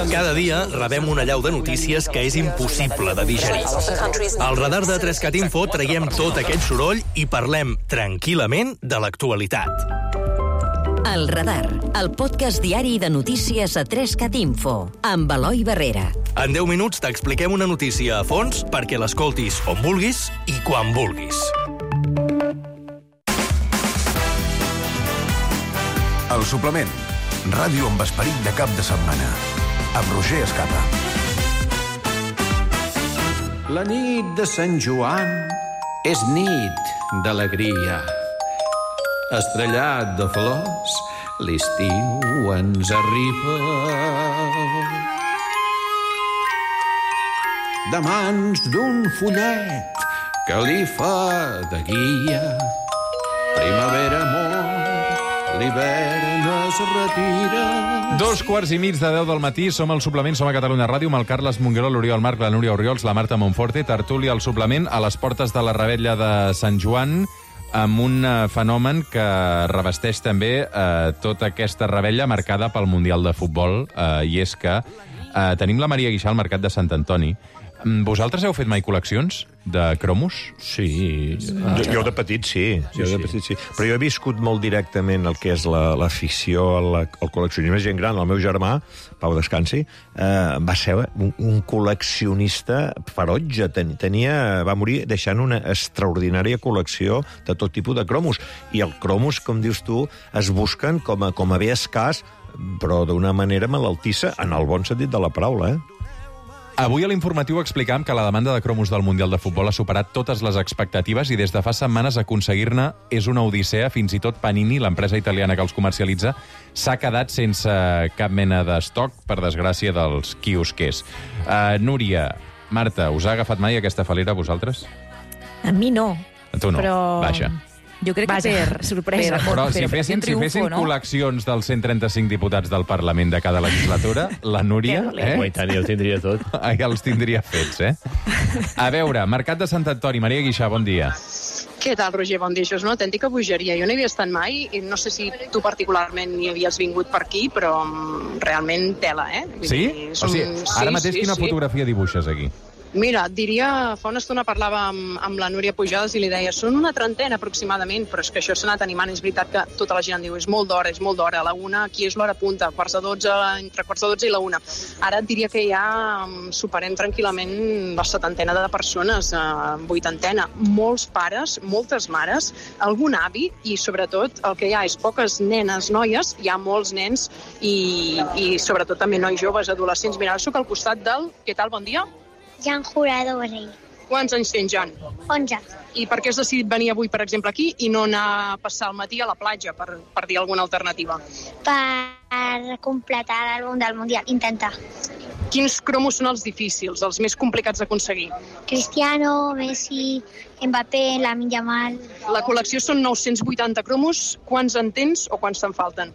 Cada dia rebem una allau de notícies que és impossible de digerir. Al radar de tres cat Info traiem tot aquest soroll i parlem tranquil·lament de l'actualitat. El Radar, el podcast diari de notícies a tres cat Info, amb Eloi Barrera. En deu minuts t'expliquem una notícia a fons perquè l'escoltis on vulguis i quan vulguis. El suplement. Ràdio amb esperit de cap de setmana. Amb Roger Escapa. La nit de Sant Joan és nit d'alegria. Estrellat de flors, l'estiu ens arriba. De mans d'un follet que li fa de guia. Primavera mor, l'hivern es retira. Dos quarts i mig de deu del matí, som al suplement, som a Catalunya Ràdio, amb el Carles Mongueró, l'Oriol Marc, la Núria Oriols, la Marta Monforte, tertúlia al suplement, a les portes de la revetlla de Sant Joan. amb un uh, fenomen que revesteix també uh, tota aquesta revetlla marcada pel Mundial de Futbol, uh, i és que uh, tenim la Maria Guixà al Mercat de Sant Antoni. Vosaltres heu fet mai col·leccions de cromos? Sí. Jo, jo de petit sí, sí, jo de petit sí. Però jo he viscut molt directament el que és l'afició al, al col·leccionisme. Gent gran, el meu germà, Pau Descansi, eh, va ser un, un col·leccionista ferotge. Ten, tenia, va morir deixant una extraordinària col·lecció de tot tipus de cromos. I els cromos, com dius tu, es busquen com a, com a bé escàs, però d'una manera malaltissa, en el bon sentit de la paraula, eh? Avui a l'informatiu explicam que la demanda de cromos del Mundial de Futbol ha superat totes les expectatives i des de fa setmanes aconseguir-ne és una odissea. Fins i tot Panini, l'empresa italiana que els comercialitza, s'ha quedat sense cap mena d'estoc, per desgràcia dels quiosquers. Uh, Núria, Marta, us ha agafat mai aquesta falera a vosaltres? A mi no. A tu no, però... vaja. Jo crec Vaja, que per sorpresa. Però per, si per fessin, si triomfo, fessin no? col·leccions dels cent trenta-cinc diputats del Parlament de cada legislatura, la Núria... Eh? Oh, i tant, ja ho tindria tot. Ja els tindria fets, eh? A veure, Mercat de Sant Antoni, Maria Guixà, bon dia. Què tal, Roger? Bon dia. Això és una autèntica bogeria. Jo no hi havia estat mai i no sé si tu particularment hi havies vingut per aquí, però realment tela, eh? Vull Sí? dir, O sigui, ara mateix sí, quina sí. fotografia dibuixes aquí? Mira, et diria, fa una estona parlava amb, amb la Núria Pujades i li deia, són una trentena aproximadament, però és que això s'ha anat animant. És veritat que tota la gent diu, és molt d'hora, és molt d'hora, a la una, aquí és l'hora punta, quarts de dotze, entre quarts de dotze i la una. Ara et diria que ja superem tranquil·lament la setantena de persones, eh, vuitantena. Molts pares, moltes mares, algun avi i, sobretot, el que hi ha és poques nenes, noies, hi ha molts nens i, i sobretot també nois joves, adolescents. Mira, ara soc al costat del... Què tal, bon dia? Jan Jurado Borrell. Quants anys tens, Jan? onze. I per què has decidit venir avui, per exemple, aquí i no anar a passar el matí a la platja, per, per dir alguna alternativa? Per completar l'àlbum del Mundial, intentar. Quins cromos són els difícils, els més complicats d'aconseguir? Cristiano, Messi, Mbappé, Lamine Yamal. La col·lecció són nou-cents vuitanta cromos. Quants en tens o quants te'n falten?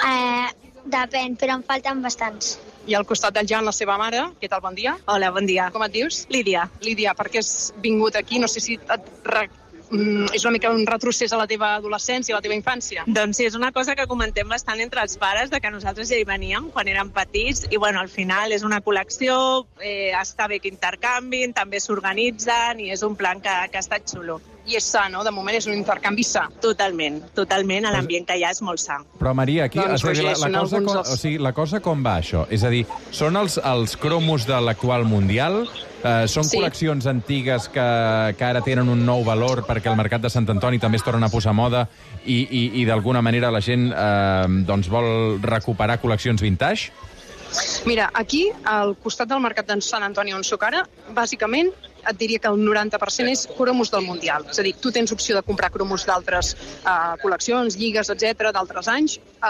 Eh, depèn, però en falten bastants. I al costat del Jan, la seva mare. Què tal, bon dia? Hola, bon dia. Com et dius? Lídia. Lídia, per què has vingut aquí? No sé si et re... mm, és una mica un retrocés a la teva adolescència, a la teva infància. Doncs sí, és una cosa que comentem bastant entre els pares, de que nosaltres ja hi veníem quan érem petits, i bueno, al final és una col·lecció, eh, està bé que intercanvin, també s'organitzen, i és un plan que, que ha estat xulo. I és sa, no? De moment és un intercanvi sa. Totalment, totalment, l'ambient que hi ha és molt sa. Però, Maria, aquí Doncs, o sigui, Roger, la, la, són cosa alguns com, dels- o sigui, la cosa com va, això? És a dir, són els, els cromos de l'actual Mundial? Eh, són Sí. col·leccions antigues que, que ara tenen un nou valor perquè el Mercat de Sant Antoni també es torna a posar a moda i, i, i d'alguna manera la gent eh, doncs vol recuperar col·leccions vintage? Mira, aquí, al costat del Mercat de Sant Antoni on soc ara, bàsicament et diria que el noranta per cent és cromos del Mundial. És a dir, tu tens opció de comprar cromos d'altres uh, col·leccions, lligues, etcètera, d'altres anys, uh,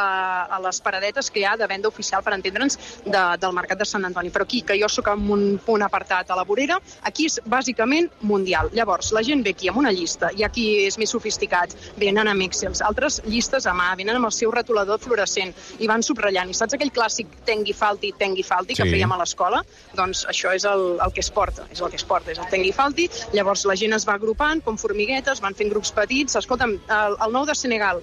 a les paradetes que hi ha de venda oficial, per entendre'ns, de, del Mercat de Sant Antoni. Però aquí, que jo sóc en un punt apartat a la vorera, aquí és bàsicament Mundial. Llavors, la gent ve aquí amb una llista, i aquí és més sofisticat, venen amb Excels, altres llistes a mà, venen amb el seu retolador fluorescent, i van subratllant. I saps aquell clàssic Tengui Falti, Tengui Falti, que Sí. fèiem a l'escola? Doncs això és el, el que es porta, és el que es porta, és el Tengui Falti. Llavors la gent es va agrupant com formiguetes, van fent grups petits. Escolta'm, el, el nou de Senegal,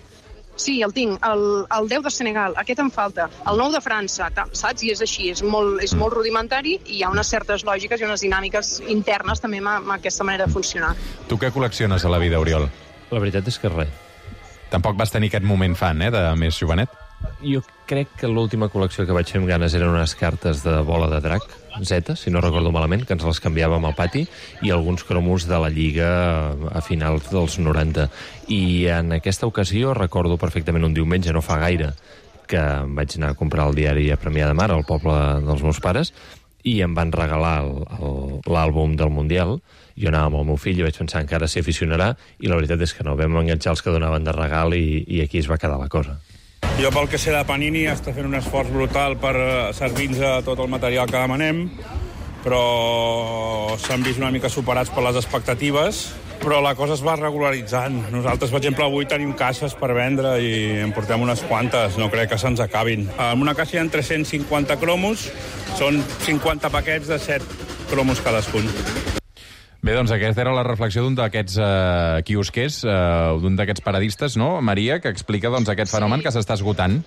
sí, el tinc, el, el deu de Senegal, aquest em falta, el nou de França, tal, saps? I és així, és molt, és molt rudimentari i hi ha unes certes lògiques i unes dinàmiques internes també amb, amb aquesta manera de funcionar. Tu què col·lecciones a la vida, Oriol? La veritat és que res. Tampoc vas tenir aquest moment fan, eh, de més jovenet? Jo crec que l'última col·lecció que vaig fer amb ganes eren unes cartes de bola de drac, Z, si no recordo malament, que ens les canviàvem al pati, i alguns cromos de la Lliga a finals dels noranta. I en aquesta ocasió recordo perfectament un diumenge, no fa gaire, que em vaig anar a comprar el diari a Premià de Mar, al poble dels meus pares, i em van regalar el- el- l'àlbum del Mundial. Jo anava amb el meu fill i vaig pensar encara s'hi aficionarà, i la veritat és que no, vam enganxar els que donaven de regal i, i aquí es va quedar la cosa. Jo, pel que sé de Panini, està fent un esforç brutal per eh, servir-nos tot el material que demanem, però s'han vist una mica superats per les expectatives, però la cosa es va regularitzant. Nosaltres, per exemple, avui tenim caixes per vendre i en portem unes quantes, no crec que se'ns acabin. En una caixa hi ha tres-cents cinquanta cromos, són cinquanta paquets de set cromos cadascun. Bé, doncs aquesta era la reflexió d'un d'aquests uh, quiosquers, uh, d'un d'aquests paradistes, no, Maria, que explica doncs, aquest sí. fenomen que s'està esgotant.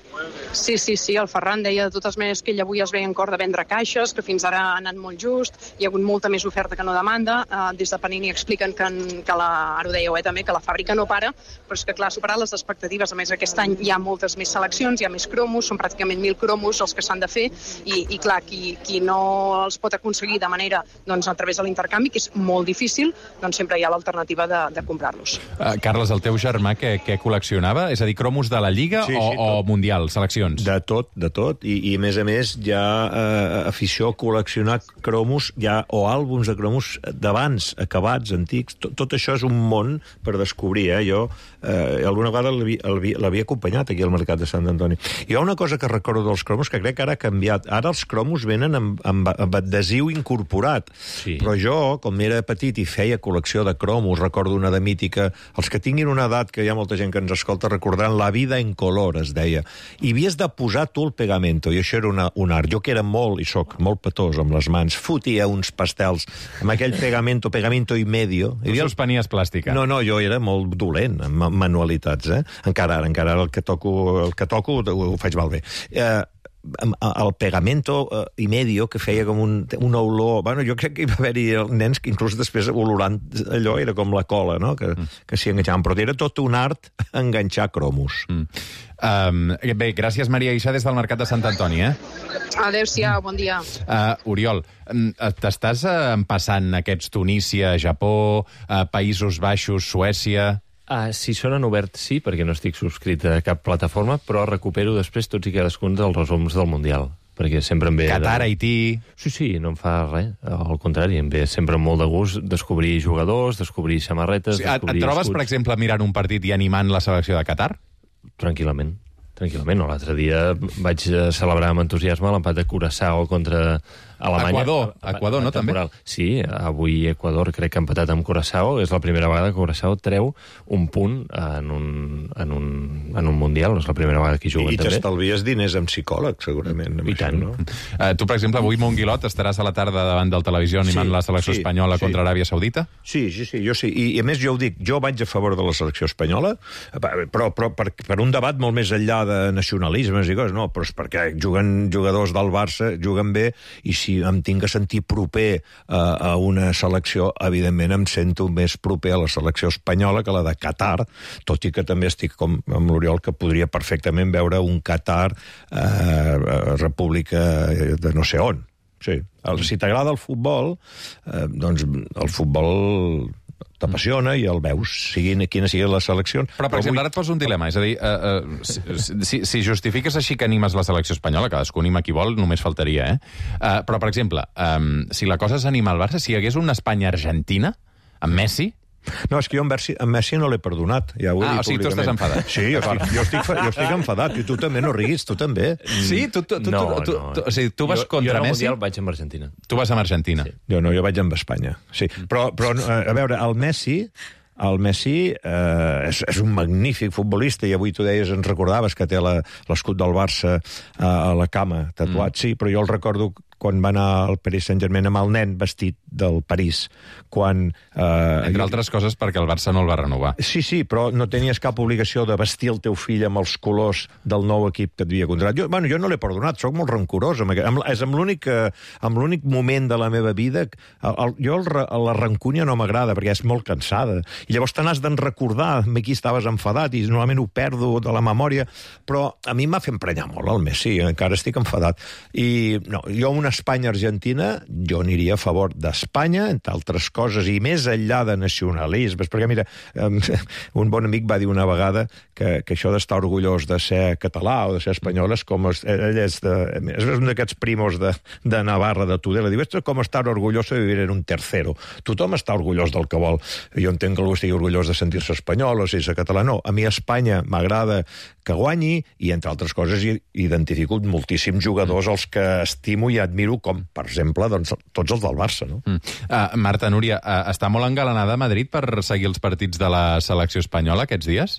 Sí, sí, sí, el Ferran deia de totes maneres que ell avui es veia en cor de vendre caixes, que fins ara ha anat molt just, hi ha hagut molta més oferta que no demanda. Uh, des de Panini expliquen que, en, que la, ara ho dèieu eh, també, que la fàbrica no para, però és que clar, ha superat les expectatives. A més, aquest any hi ha moltes més seleccions, hi ha més cromos, són pràcticament mil cromos els que s'han de fer, i, i clar, qui, qui no els pot aconseguir de manera doncs, a través de l'intercanvi, que és molt difícil, doncs sempre hi ha l'alternativa de, de comprar-los. Uh, Carles, el teu germà què, què col·leccionava? És a dir, cromos de la Lliga sí, o, sí, o Mundial, seleccions? De tot, de tot. I, i a més a més, hi ha eh, afició a col·leccionar cromos ja, o àlbums de cromos d'abans, acabats, antics. Tot, tot això és un món per descobrir. Eh? Jo eh, alguna vegada l'havia acompanyat aquí al Mercat de Sant Antoni. Hi ha una cosa que recordo dels cromos que crec que ara ha canviat. Ara els cromos venen amb, amb, amb adhesiu incorporat. Sí. Però jo, com era petit i feia col·lecció de cromos, recordo una de mítica, els que tinguin una edat, que hi ha molta gent que ens escolta recordant, La vida en color, es deia. I havies de posar tu el pegamento, i això era una, un art. Jo que era molt, i soc molt petós amb les mans, fotia uns pastels amb aquell pegamento, pegamento i medio. Tu suspenies plàstica. No, no, jo era molt dolent amb manualitats, eh? Encara ara, encara ara el que toco, el que toco ho, ho faig malbé. Eh, el pegamento uh, i medio, que feia com un, una olor... Bueno, jo crec que hi va haver-hi nens que inclús després olorant allò era com la cola, no? Que, mm. que s'hi enganxaven. Però era tot un art enganxar cromos. Mm. Um, bé, gràcies, Maria Ixà, des del Mercat de Sant Antoni, eh? Adéu-siau, bon dia. Uh, Oriol, t'estàs uh, empassant aquests Tunísia, Japó, uh, Països Baixos, Suècia... Uh, si sonen oberts, sí, perquè no estic subscrit a cap plataforma, però recupero després tots i cadascun dels resums del Mundial, perquè sempre em ve... Qatar, de... Haití... Sí, sí, no em fa res, al contrari, em ve sempre molt de gust descobrir jugadors, descobrir samarretes... Sí, descobrir et trobes, escuts. per exemple, mirant un partit i animant la selecció de Qatar? Tranquil·lament. Tranquil·lament. L'altre dia vaig celebrar amb entusiasme l'empat de Curaçao contra Alemanya. Equador, Equador, no, també? Sí, avui Equador crec que ha empatat amb Curaçao. És la primera vegada que Curaçao treu un punt en un, en un, en un Mundial. No és la primera vegada que hi juguen, I, i també. I t'estalvies diners amb psicòleg, segurament. I tant. Això, no? uh, tu, per exemple, avui, Monguilot, estaràs a la tarda davant del televisió animant sí, la selecció sí, espanyola sí. contra Aràbia Saudita? Sí, sí, sí, jo sí. I, I a més, jo ho dic, jo vaig a favor de la selecció espanyola, però, però per, per un debat molt més enllà de nacionalismes i coses, no, però és perquè juguen jugadors del Barça, juguen bé, i si em tinc que sentir proper a, a una selecció, evidentment em sento més proper a la selecció espanyola que la de Qatar, tot i que també estic com amb l'Oriol, que podria perfectament veure un Qatar eh, república de no sé on. Sí. El, si t'agrada el futbol, eh, doncs el futbol t'apassiona i el veus, siguin quina sigui la selecció. Però, per exemple, ara et poso un dilema, és a dir, uh, uh, si, si, si justifiques així que animes la selecció espanyola, cadascú anima qui vol, només faltaria, eh? Uh, però, per exemple, um, si la cosa és animar el Barça, si hi hagués una Espanya-Argentina, amb Messi... No, és que jo en Messi, en Messi no l'he perdonat. Ja ho he ah, dit o sigui, tu estàs enfadat. Sí, jo estic, jo, estic, jo estic enfadat, i tu també, no riguis, tu també. Sí? Tu, tu, tu, no, tu, no. Tu, o sigui, tu vas jo, contra jo Messi? Jo vaig amb Argentina. Tu vas amb Argentina. Sí. Jo no, jo vaig amb Espanya. Sí. Però, però, a veure, el Messi... El Messi eh, és, és un magnífic futbolista, i avui tu deies, ens recordaves que té l'escut del Barça eh, a la cama tatuat. Mm. Sí, però jo el recordo quan va anar al Paris Saint-Germain amb el nen vestit del París, quan... Eh, Entre altres coses perquè el Barça no el va renovar. Sí, sí, però no tenies cap obligació de vestir el teu fill amb els colors del nou equip que et havia contratat. Jo, bueno, jo no l'he perdonat, sóc molt rancorós. Amb aquest, amb, és amb l'únic amb l'únic moment de la meva vida... El, el, jo el, la rancúnia no m'agrada, perquè és molt cansada. I llavors te n'has d'en recordar amb qui estaves enfadat, i normalment ho perdo de la memòria, però a mi m'ha fet emprenyar molt el Messi, encara estic enfadat. I no, jo una Espanya-Argentina, jo aniria a favor d'Espanya, entre altres coses, i més enllà de nacionalismes, perquè mira, un bon amic va dir una vegada que, que això d'estar orgullós de ser català o de ser espanyol és com... Ell és, de, és un d'aquests primos de, de Navarra, de Tudela, diu, esto és com estar orgullós de vivir en un tercero. Tothom està orgullós del que vol. Jo entenc que algú estigui orgullós de sentir-se espanyol o si és català, no. A mi Espanya m'agrada que guanyi, i entre altres coses identifico moltíssims jugadors als que estimo i admiro, com, per exemple, doncs, tots els del Barça, no? Mm. Uh, Marta, Núria, uh, està molt engalanada a Madrid per seguir els partits de la selecció espanyola aquests dies?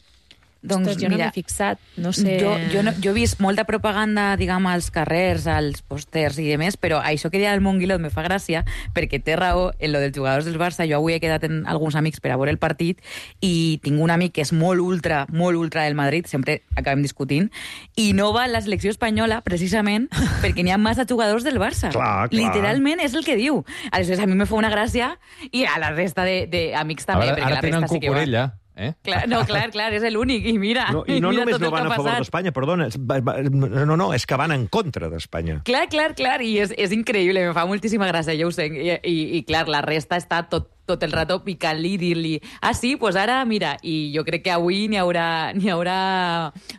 Doncs, Ostres, jo no mira, m'he fixat, no sé... Jo, jo, no, jo he vist molta propaganda, diguem, als carrers, als pòsters i demés, però això que deia el Monguilot me fa gràcia, perquè té raó en lo dels jugadors del Barça. Jo avui he quedat amb alguns amics per a veure el partit i tinc un amic que és molt ultra, molt ultra del Madrid, sempre acabem discutint, i no va a la selecció espanyola precisament perquè n'hi ha massa jugadors del Barça. Clar, clar. Literalment és el que diu. Aleshores, a mi me fa una gràcia i a la resta d'amics també. Ara, ara la tenen resta sí que va. Cucurella. Eh? Clar, no, clar, clar, és l'únic, i mira, No, I no mira només tot no el que van ha a favor passat. d'Espanya, perdona, va- va- no, no, és que van en contra d'Espanya. Clar, clar, clar, i és, és increïble, me fa moltíssima gràcia, jo ho sé, i, i, i clar, la resta està tot, tot el rato picant-li i dir-li, ah, sí, doncs pues ara, mira, i jo crec que avui n'hi haurà, n'hi haurà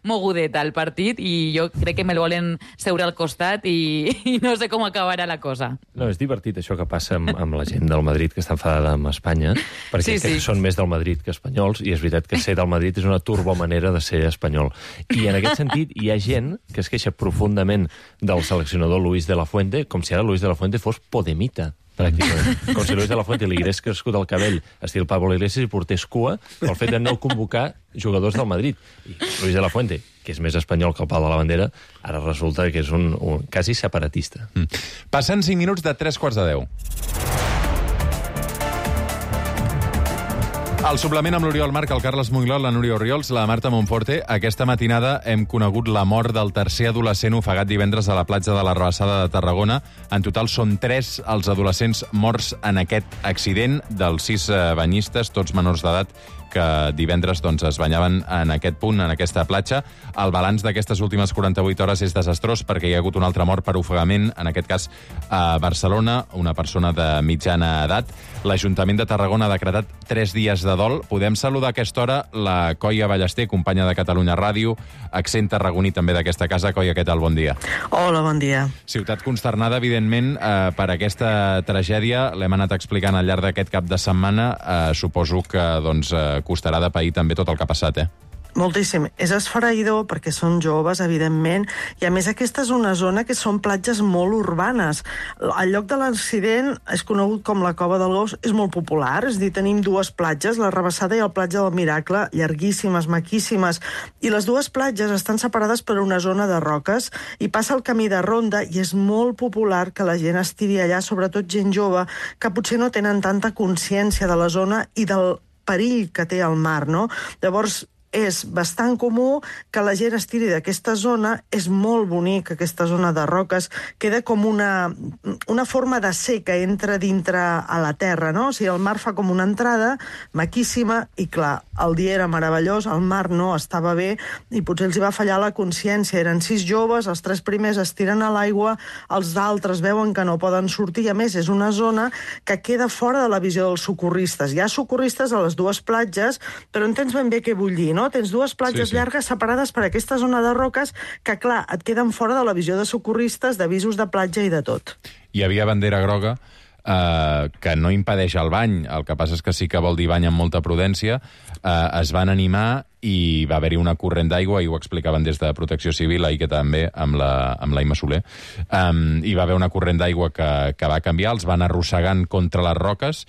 mogudet al partit i jo crec que me'l volen seure al costat i, i no sé com acabarà la cosa. No, és divertit això que passa amb, amb la gent del Madrid que està enfadada amb Espanya, perquè Sí, sí. són més del Madrid que espanyols, i és veritat que ser del Madrid és una turbomanera de ser espanyol. I en aquest sentit hi ha gent que es queixa profundament del seleccionador Luis de la Fuente, com si ara Luis de la Fuente fos podemita, pràcticament. Com si Luis de la Fuente li hagués crescut el cabell estil Pablo Iglesias i portés cua pel fet de no convocar jugadors del Madrid. I Luis de la Fuente, que és més espanyol que el pal de la bandera, ara resulta que és un, un quasi separatista. Mm. Passen cinc minuts de tres quarts de deu. Al suplement amb l'Oriol Marc, el Carles Monglot, la Núria Oriols, la Marta Monforte, aquesta matinada hem conegut la mort del tercer adolescent ofegat divendres a la platja de la Rabassada de Tarragona. En total són tres els adolescents morts en aquest accident, dels sis eh, banyistes, tots menors d'edat, que divendres doncs, es banyaven en aquest punt, en aquesta platja. El balanç d'aquestes últimes quaranta-vuit hores és desastrós perquè hi ha hagut un altre mort per ofegament, en aquest cas a Barcelona, una persona de mitjana edat. L'Ajuntament de Tarragona ha decretat tres dies de dol. Podem saludar a aquesta hora la Coia Ballester, companya de Catalunya Ràdio, accent tarragoní també d'aquesta casa. Coia, què tal? Bon dia. Hola, bon dia. Ciutat consternada, evidentment, eh, per aquesta tragèdia. L'hem anat explicant al llarg d'aquest cap de setmana. Eh, suposo que doncs, eh, costarà de pair també tot el que ha passat, eh? Moltíssim. És esfereïdor perquè són joves, evidentment, i a més aquesta és una zona que són platges molt urbanes. El lloc de l'accident és conegut com la Cova del Gos, és molt popular, és a dir, tenim dues platges, la Rabassada i la platja del Miracle, llarguíssimes, maquíssimes, i les dues platges estan separades per una zona de roques i passa el camí de ronda i és molt popular que la gent estiri allà, sobretot gent jove, que potser no tenen tanta consciència de la zona i del perill que té el mar, no? Llavors, és bastant comú que la gent estiri d'aquesta zona. És molt bonic, aquesta zona de roques. Queda com una, una forma de ser que entra dintre a la terra, no? O sigui, el mar fa com una entrada maquíssima i, clar, el dia era meravellós, el mar no estava bé i potser els hi va fallar la consciència. Eren sis joves, els tres primers es tiren a l'aigua, els altres veuen que no poden sortir i, a més, és una zona que queda fora de la visió dels socorristes. Hi ha socorristes a les dues platges, però entens ben bé què vull dir, no? Tens dues platges sí, sí. llargues separades per aquesta zona de roques que, clar, et queden fora de la visió de socorristes, d'avisos de platja i de tot. Hi havia bandera groga eh, que no impedeix el bany, el que passa és que sí que vol dir bany amb molta prudència. Eh, es van animar i va haver-hi una corrent d'aigua, i ho explicaven des de Protecció Civil, ahir que també, amb la, amb la Imma Soler. Um, hi va haver una corrent d'aigua que, que va canviar, els van arrossegant contra les roques,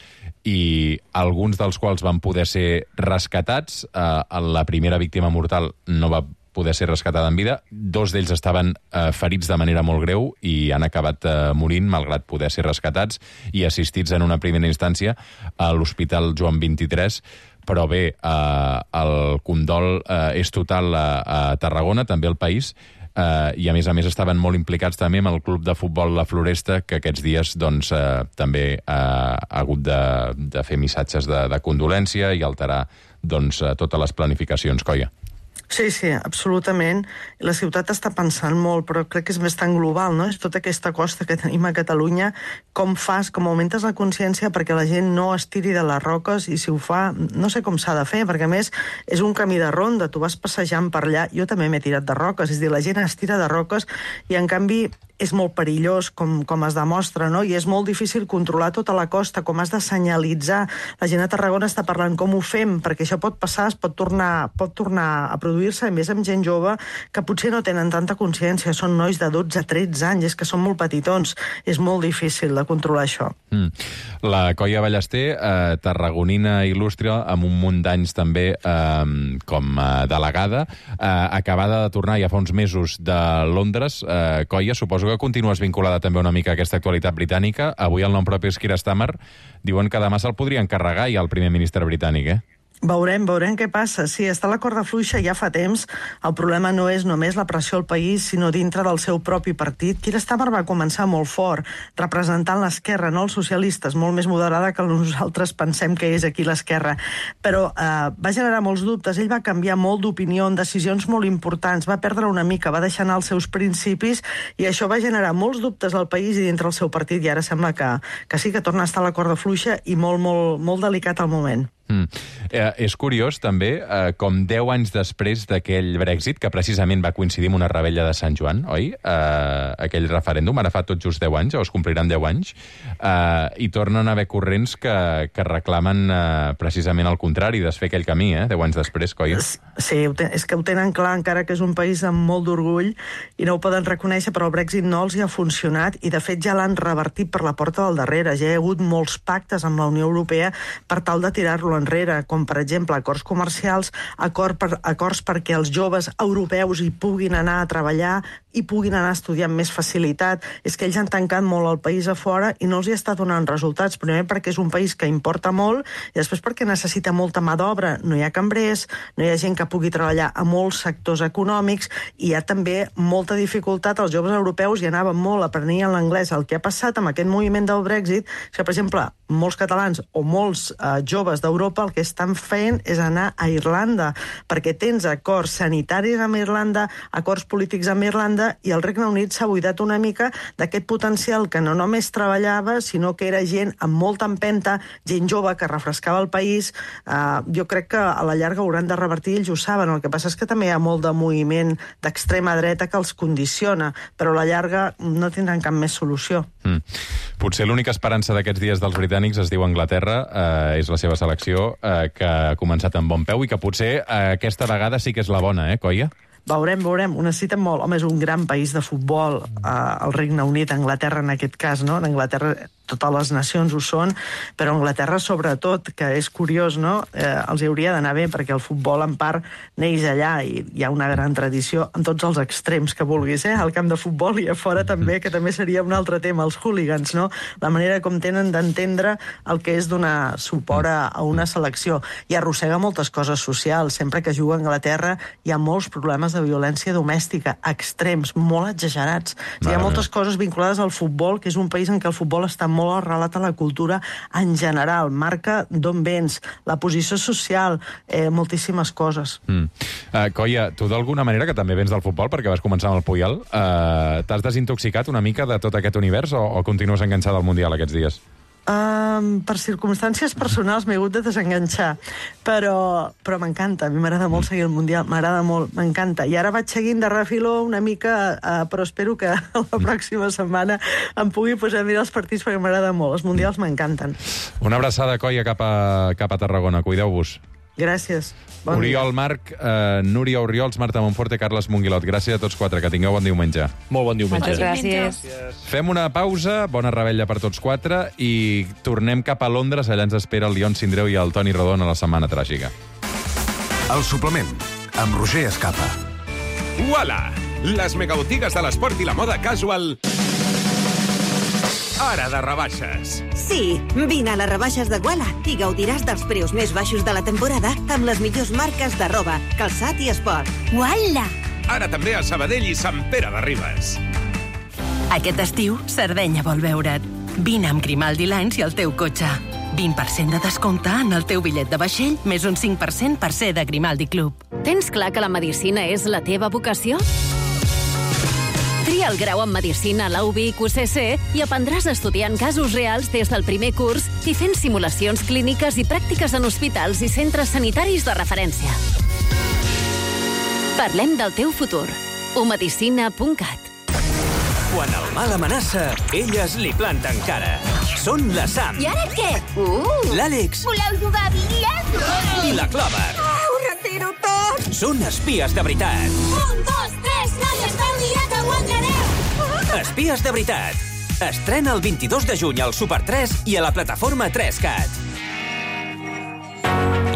i alguns dels quals van poder ser rescatats. Uh, la primera víctima mortal no va poder ser rescatada en vida. Dos d'ells estaven eh, ferits de manera molt greu i han acabat eh, morint, malgrat poder ser rescatats i assistits en una primera instància a l'Hospital Joan vint-i-tres. Però bé, eh, el condol eh, és total a, a Tarragona, també al país, eh, i a més a més estaven molt implicats també amb el club de futbol La Floresta, que aquests dies doncs, eh, també eh, ha hagut de, de fer missatges de, de condolència i alterar doncs, totes les planificacions, Coia. Sí, sí, absolutament. La ciutat està pensant molt, però crec que és més tan global, no? És tota aquesta costa que tenim a Catalunya, com fas, com augmentes la consciència perquè la gent no es tiri de les roques, i si ho fa, no sé com s'ha de fer, perquè a més és un camí de ronda, tu vas passejant per allà, jo també m'he tirat de roques, és a dir, la gent es tira de roques i en canvi és molt perillós, com, com es demostra, no? I és molt difícil controlar tota la costa, com has de senyalitzar. La gent a Tarragona està parlant com ho fem, perquè això pot passar, es pot tornar, pot tornar a produir reproduir-se, a més amb gent jove que potser no tenen tanta consciència, són nois de dotze a tretze anys, és que són molt petitons, és molt difícil de controlar això. Mm. La Coia Ballester, eh, tarragonina il·lustre, amb un munt d'anys també eh, com a delegada, eh, acabada de tornar ja fa uns mesos de Londres. Eh, Coia, suposo que continues vinculada també una mica a aquesta actualitat britànica. Avui el nom propi és Keir Starmer. Diuen que demà se'l podria encarregar ja el primer ministre britànic, eh? Veurem, veurem què passa. Sí, està la corda fluixa ja fa temps. El problema no és només la pressió al país, sinó dintre del seu propi partit. Keir Starmer va començar molt fort, representant l'esquerra, no els socialistes, molt més moderada que nosaltres pensem que és aquí l'esquerra. Però eh, va generar molts dubtes. Ell va canviar molt d'opinió en decisions molt importants, va perdre una mica, va deixar anar els seus principis, i això va generar molts dubtes al país i dintre el seu partit, i ara sembla que, que sí que torna a estar a la corda fluixa i molt, molt, molt delicat al moment. Mm. Eh, és curiós, també, eh, com deu anys després d'aquell Brexit, que precisament va coincidir amb una rebella de Sant Joan, oi? Eh, aquell referèndum, ara fa tot just deu anys, o es compliran deu anys, eh, i tornen a haver corrents que, que reclamen eh, precisament el contrari, desfer aquell camí, eh, deu anys després, Coia. Sí, és que ho tenen clar, encara que és un país amb molt d'orgull, i no ho poden reconèixer, però el Brexit no els hi ha funcionat, i de fet ja l'han revertit per la porta del darrere. Ja hi ha hagut molts pactes amb la Unió Europea per tal de tirar-lo enrere, com per exemple acords comercials, acord per, acords perquè els joves europeus hi puguin anar a treballar i puguin anar a estudiar amb més facilitat. És que ells han tancat molt el país a fora i no els hi està donant resultats, primer perquè és un país que importa molt i després perquè necessita molta mà d'obra. No hi ha cambrers, no hi ha gent que pugui treballar a molts sectors econòmics, i hi ha també molta dificultat. Els joves europeus hi anaven molt, aprenien l'anglès. El que ha passat amb aquest moviment del Brexit és que, per exemple, molts catalans o molts eh, joves d'Europa el que estan fent és anar a Irlanda, perquè tens acords sanitaris amb Irlanda, acords polítics amb Irlanda, i el Regne Unit s'ha buidat una mica d'aquest potencial que no només treballava, sinó que era gent amb molta empenta, gent jove que refrescava el país. Uh, jo crec que a la llarga hauran de revertir, ells ho saben. El que passa és que també hi ha molt de moviment d'extrema dreta que els condiciona, però a la llarga no tindran cap més solució. Mm. Potser l'única esperança d'aquests dies dels britànics es diu Anglaterra, eh, és la seva selecció, eh, que ha començat amb bon peu i que potser eh, aquesta vegada sí que és la bona, eh, Coia? Veurem, veurem. Ho necessiten molt. Home, és un gran país de futbol, eh, el Regne Unit, Anglaterra en aquest cas, no? En Anglaterra totes les nacions ho són, però Anglaterra sobretot, que és curiós, no? Eh, els hauria d'anar bé, perquè el futbol en part neix allà i hi ha una gran tradició en tots els extrems que vulguis, eh? Al camp de futbol i a fora també, que també seria un altre tema, els hooligans, no? La manera com tenen d'entendre el que és donar suport a, a una selecció. I arrossega moltes coses socials. Sempre que juga a Anglaterra hi ha molts problemes de violència domèstica, extrems, molt exagerats. O sigui, hi ha moltes coses vinculades al futbol, que és un país en què el futbol està molt arrelat a la cultura en general, marca d'on vens, la posició social, eh, moltíssimes coses. Mm. Uh, Coia, tu d'alguna manera, que també vens del futbol, perquè vas començar amb el Puyol, uh, t'has desintoxicat una mica de tot aquest univers o, o continues enganxada al Mundial aquests dies? Um, per circumstàncies personals m'he hagut de desenganxar, però, però m'encanta, a mi m'agrada molt seguir el Mundial, m'agrada molt, m'encanta. I ara vaig seguint de refiló una mica, uh, però espero que la pròxima setmana em pugui posar a mirar els partits perquè m'agrada molt, els Mundials m'encanten. Una abraçada, Coia, cap a, cap a Tarragona, cuideu-vos. Gràcies. Bon Oriol dia. Marc, eh, Núria Oriols, Marta Monforte, Carles Monguilot. Gràcies a tots quatre, que tingueu bon diumenge. Molt bon diumenge. Moltes gràcies. Fem una pausa, bona rebella per tots quatre, i tornem cap a Londres. Allà ens espera el Lion Sindreu i el Toni Rodon a la Setmana Tràgica. El suplement, amb Roger Escapa. Uala! Les megabotigues de l'esport i la moda casual... Ara de rebaixes. Sí, vine a les rebaixes de Guala i gaudiràs dels preus més baixos de la temporada amb les millors marques de roba, calçat i esport. Uala! Ara també a Sabadell i Sant Pere de Ribes. Aquest estiu, Sardenya vol veure't. Vine amb Grimaldi Lines i el teu cotxe. vint per cent de descompte en el teu bitllet de vaixell, més un cinc per cent per ser de Grimaldi Club. Tens clar que la medicina és la teva vocació? Tria el grau en Medicina a la U B I Q C C i aprendràs estudiant casos reals des del primer curs i fent simulacions clíniques i pràctiques en hospitals i centres sanitaris de referència. Parlem del teu futur. u medicina punt cat. Quan el mal amenaça, elles li planten cara. Són la Sam. I ara què? Uh! L'Àlex. Voleu jugar a bitlles? I la Clover. Oh, ho retiro tot! són espies de veritat. Un, dos, tres, no hi esteu dient que guanyareu! Espies de veritat. Estrena el vint-i-dos de juny al Super tres i a la plataforma tres cat.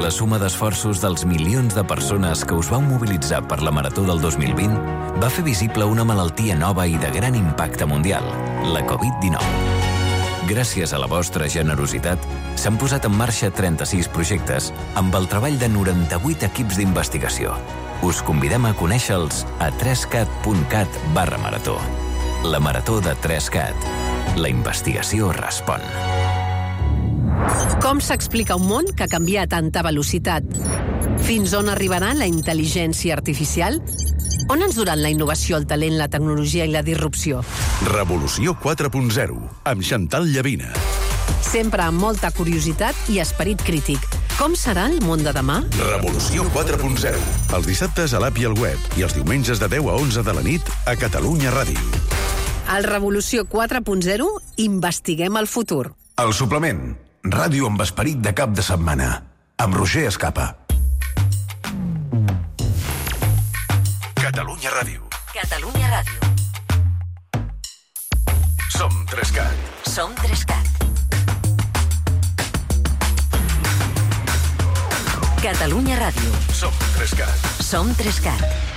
La suma d'esforços dels milions de persones que us vau mobilitzar per la Marató del dos mil vint va fer visible una malaltia nova i de gran impacte mundial, la covid dinou. Gràcies a la vostra generositat, s'han posat en marxa trenta-sis projectes amb el treball de noranta-vuit equips d'investigació. Us convidem a conèixer-los a tres cat punt cat barra marató. La Marató de tres cat. La investigació respon. Com s'explica un món que canvia a tanta velocitat? Fins on arribarà la intel·ligència artificial? On ens duran la innovació, el talent, la tecnologia i la disrupció? Revolució quatre punt zero, amb Chantal Llavina. Sempre amb molta curiositat i esperit crític. Com serà el món de demà? Revolució quatre punt zero, els dissabtes a l'app i al web i els diumenges de deu a onze de la nit a Catalunya Ràdio. Al Revolució quatre punt zero investiguem el futur. El suplement. Ràdio amb esperit de cap de setmana. Amb Roger Escapa. Catalunya Ràdio. Catalunya Ràdio. Som tres cat. Som tres cat. Catalunya Ràdio. Som tres cat. Som tres cat.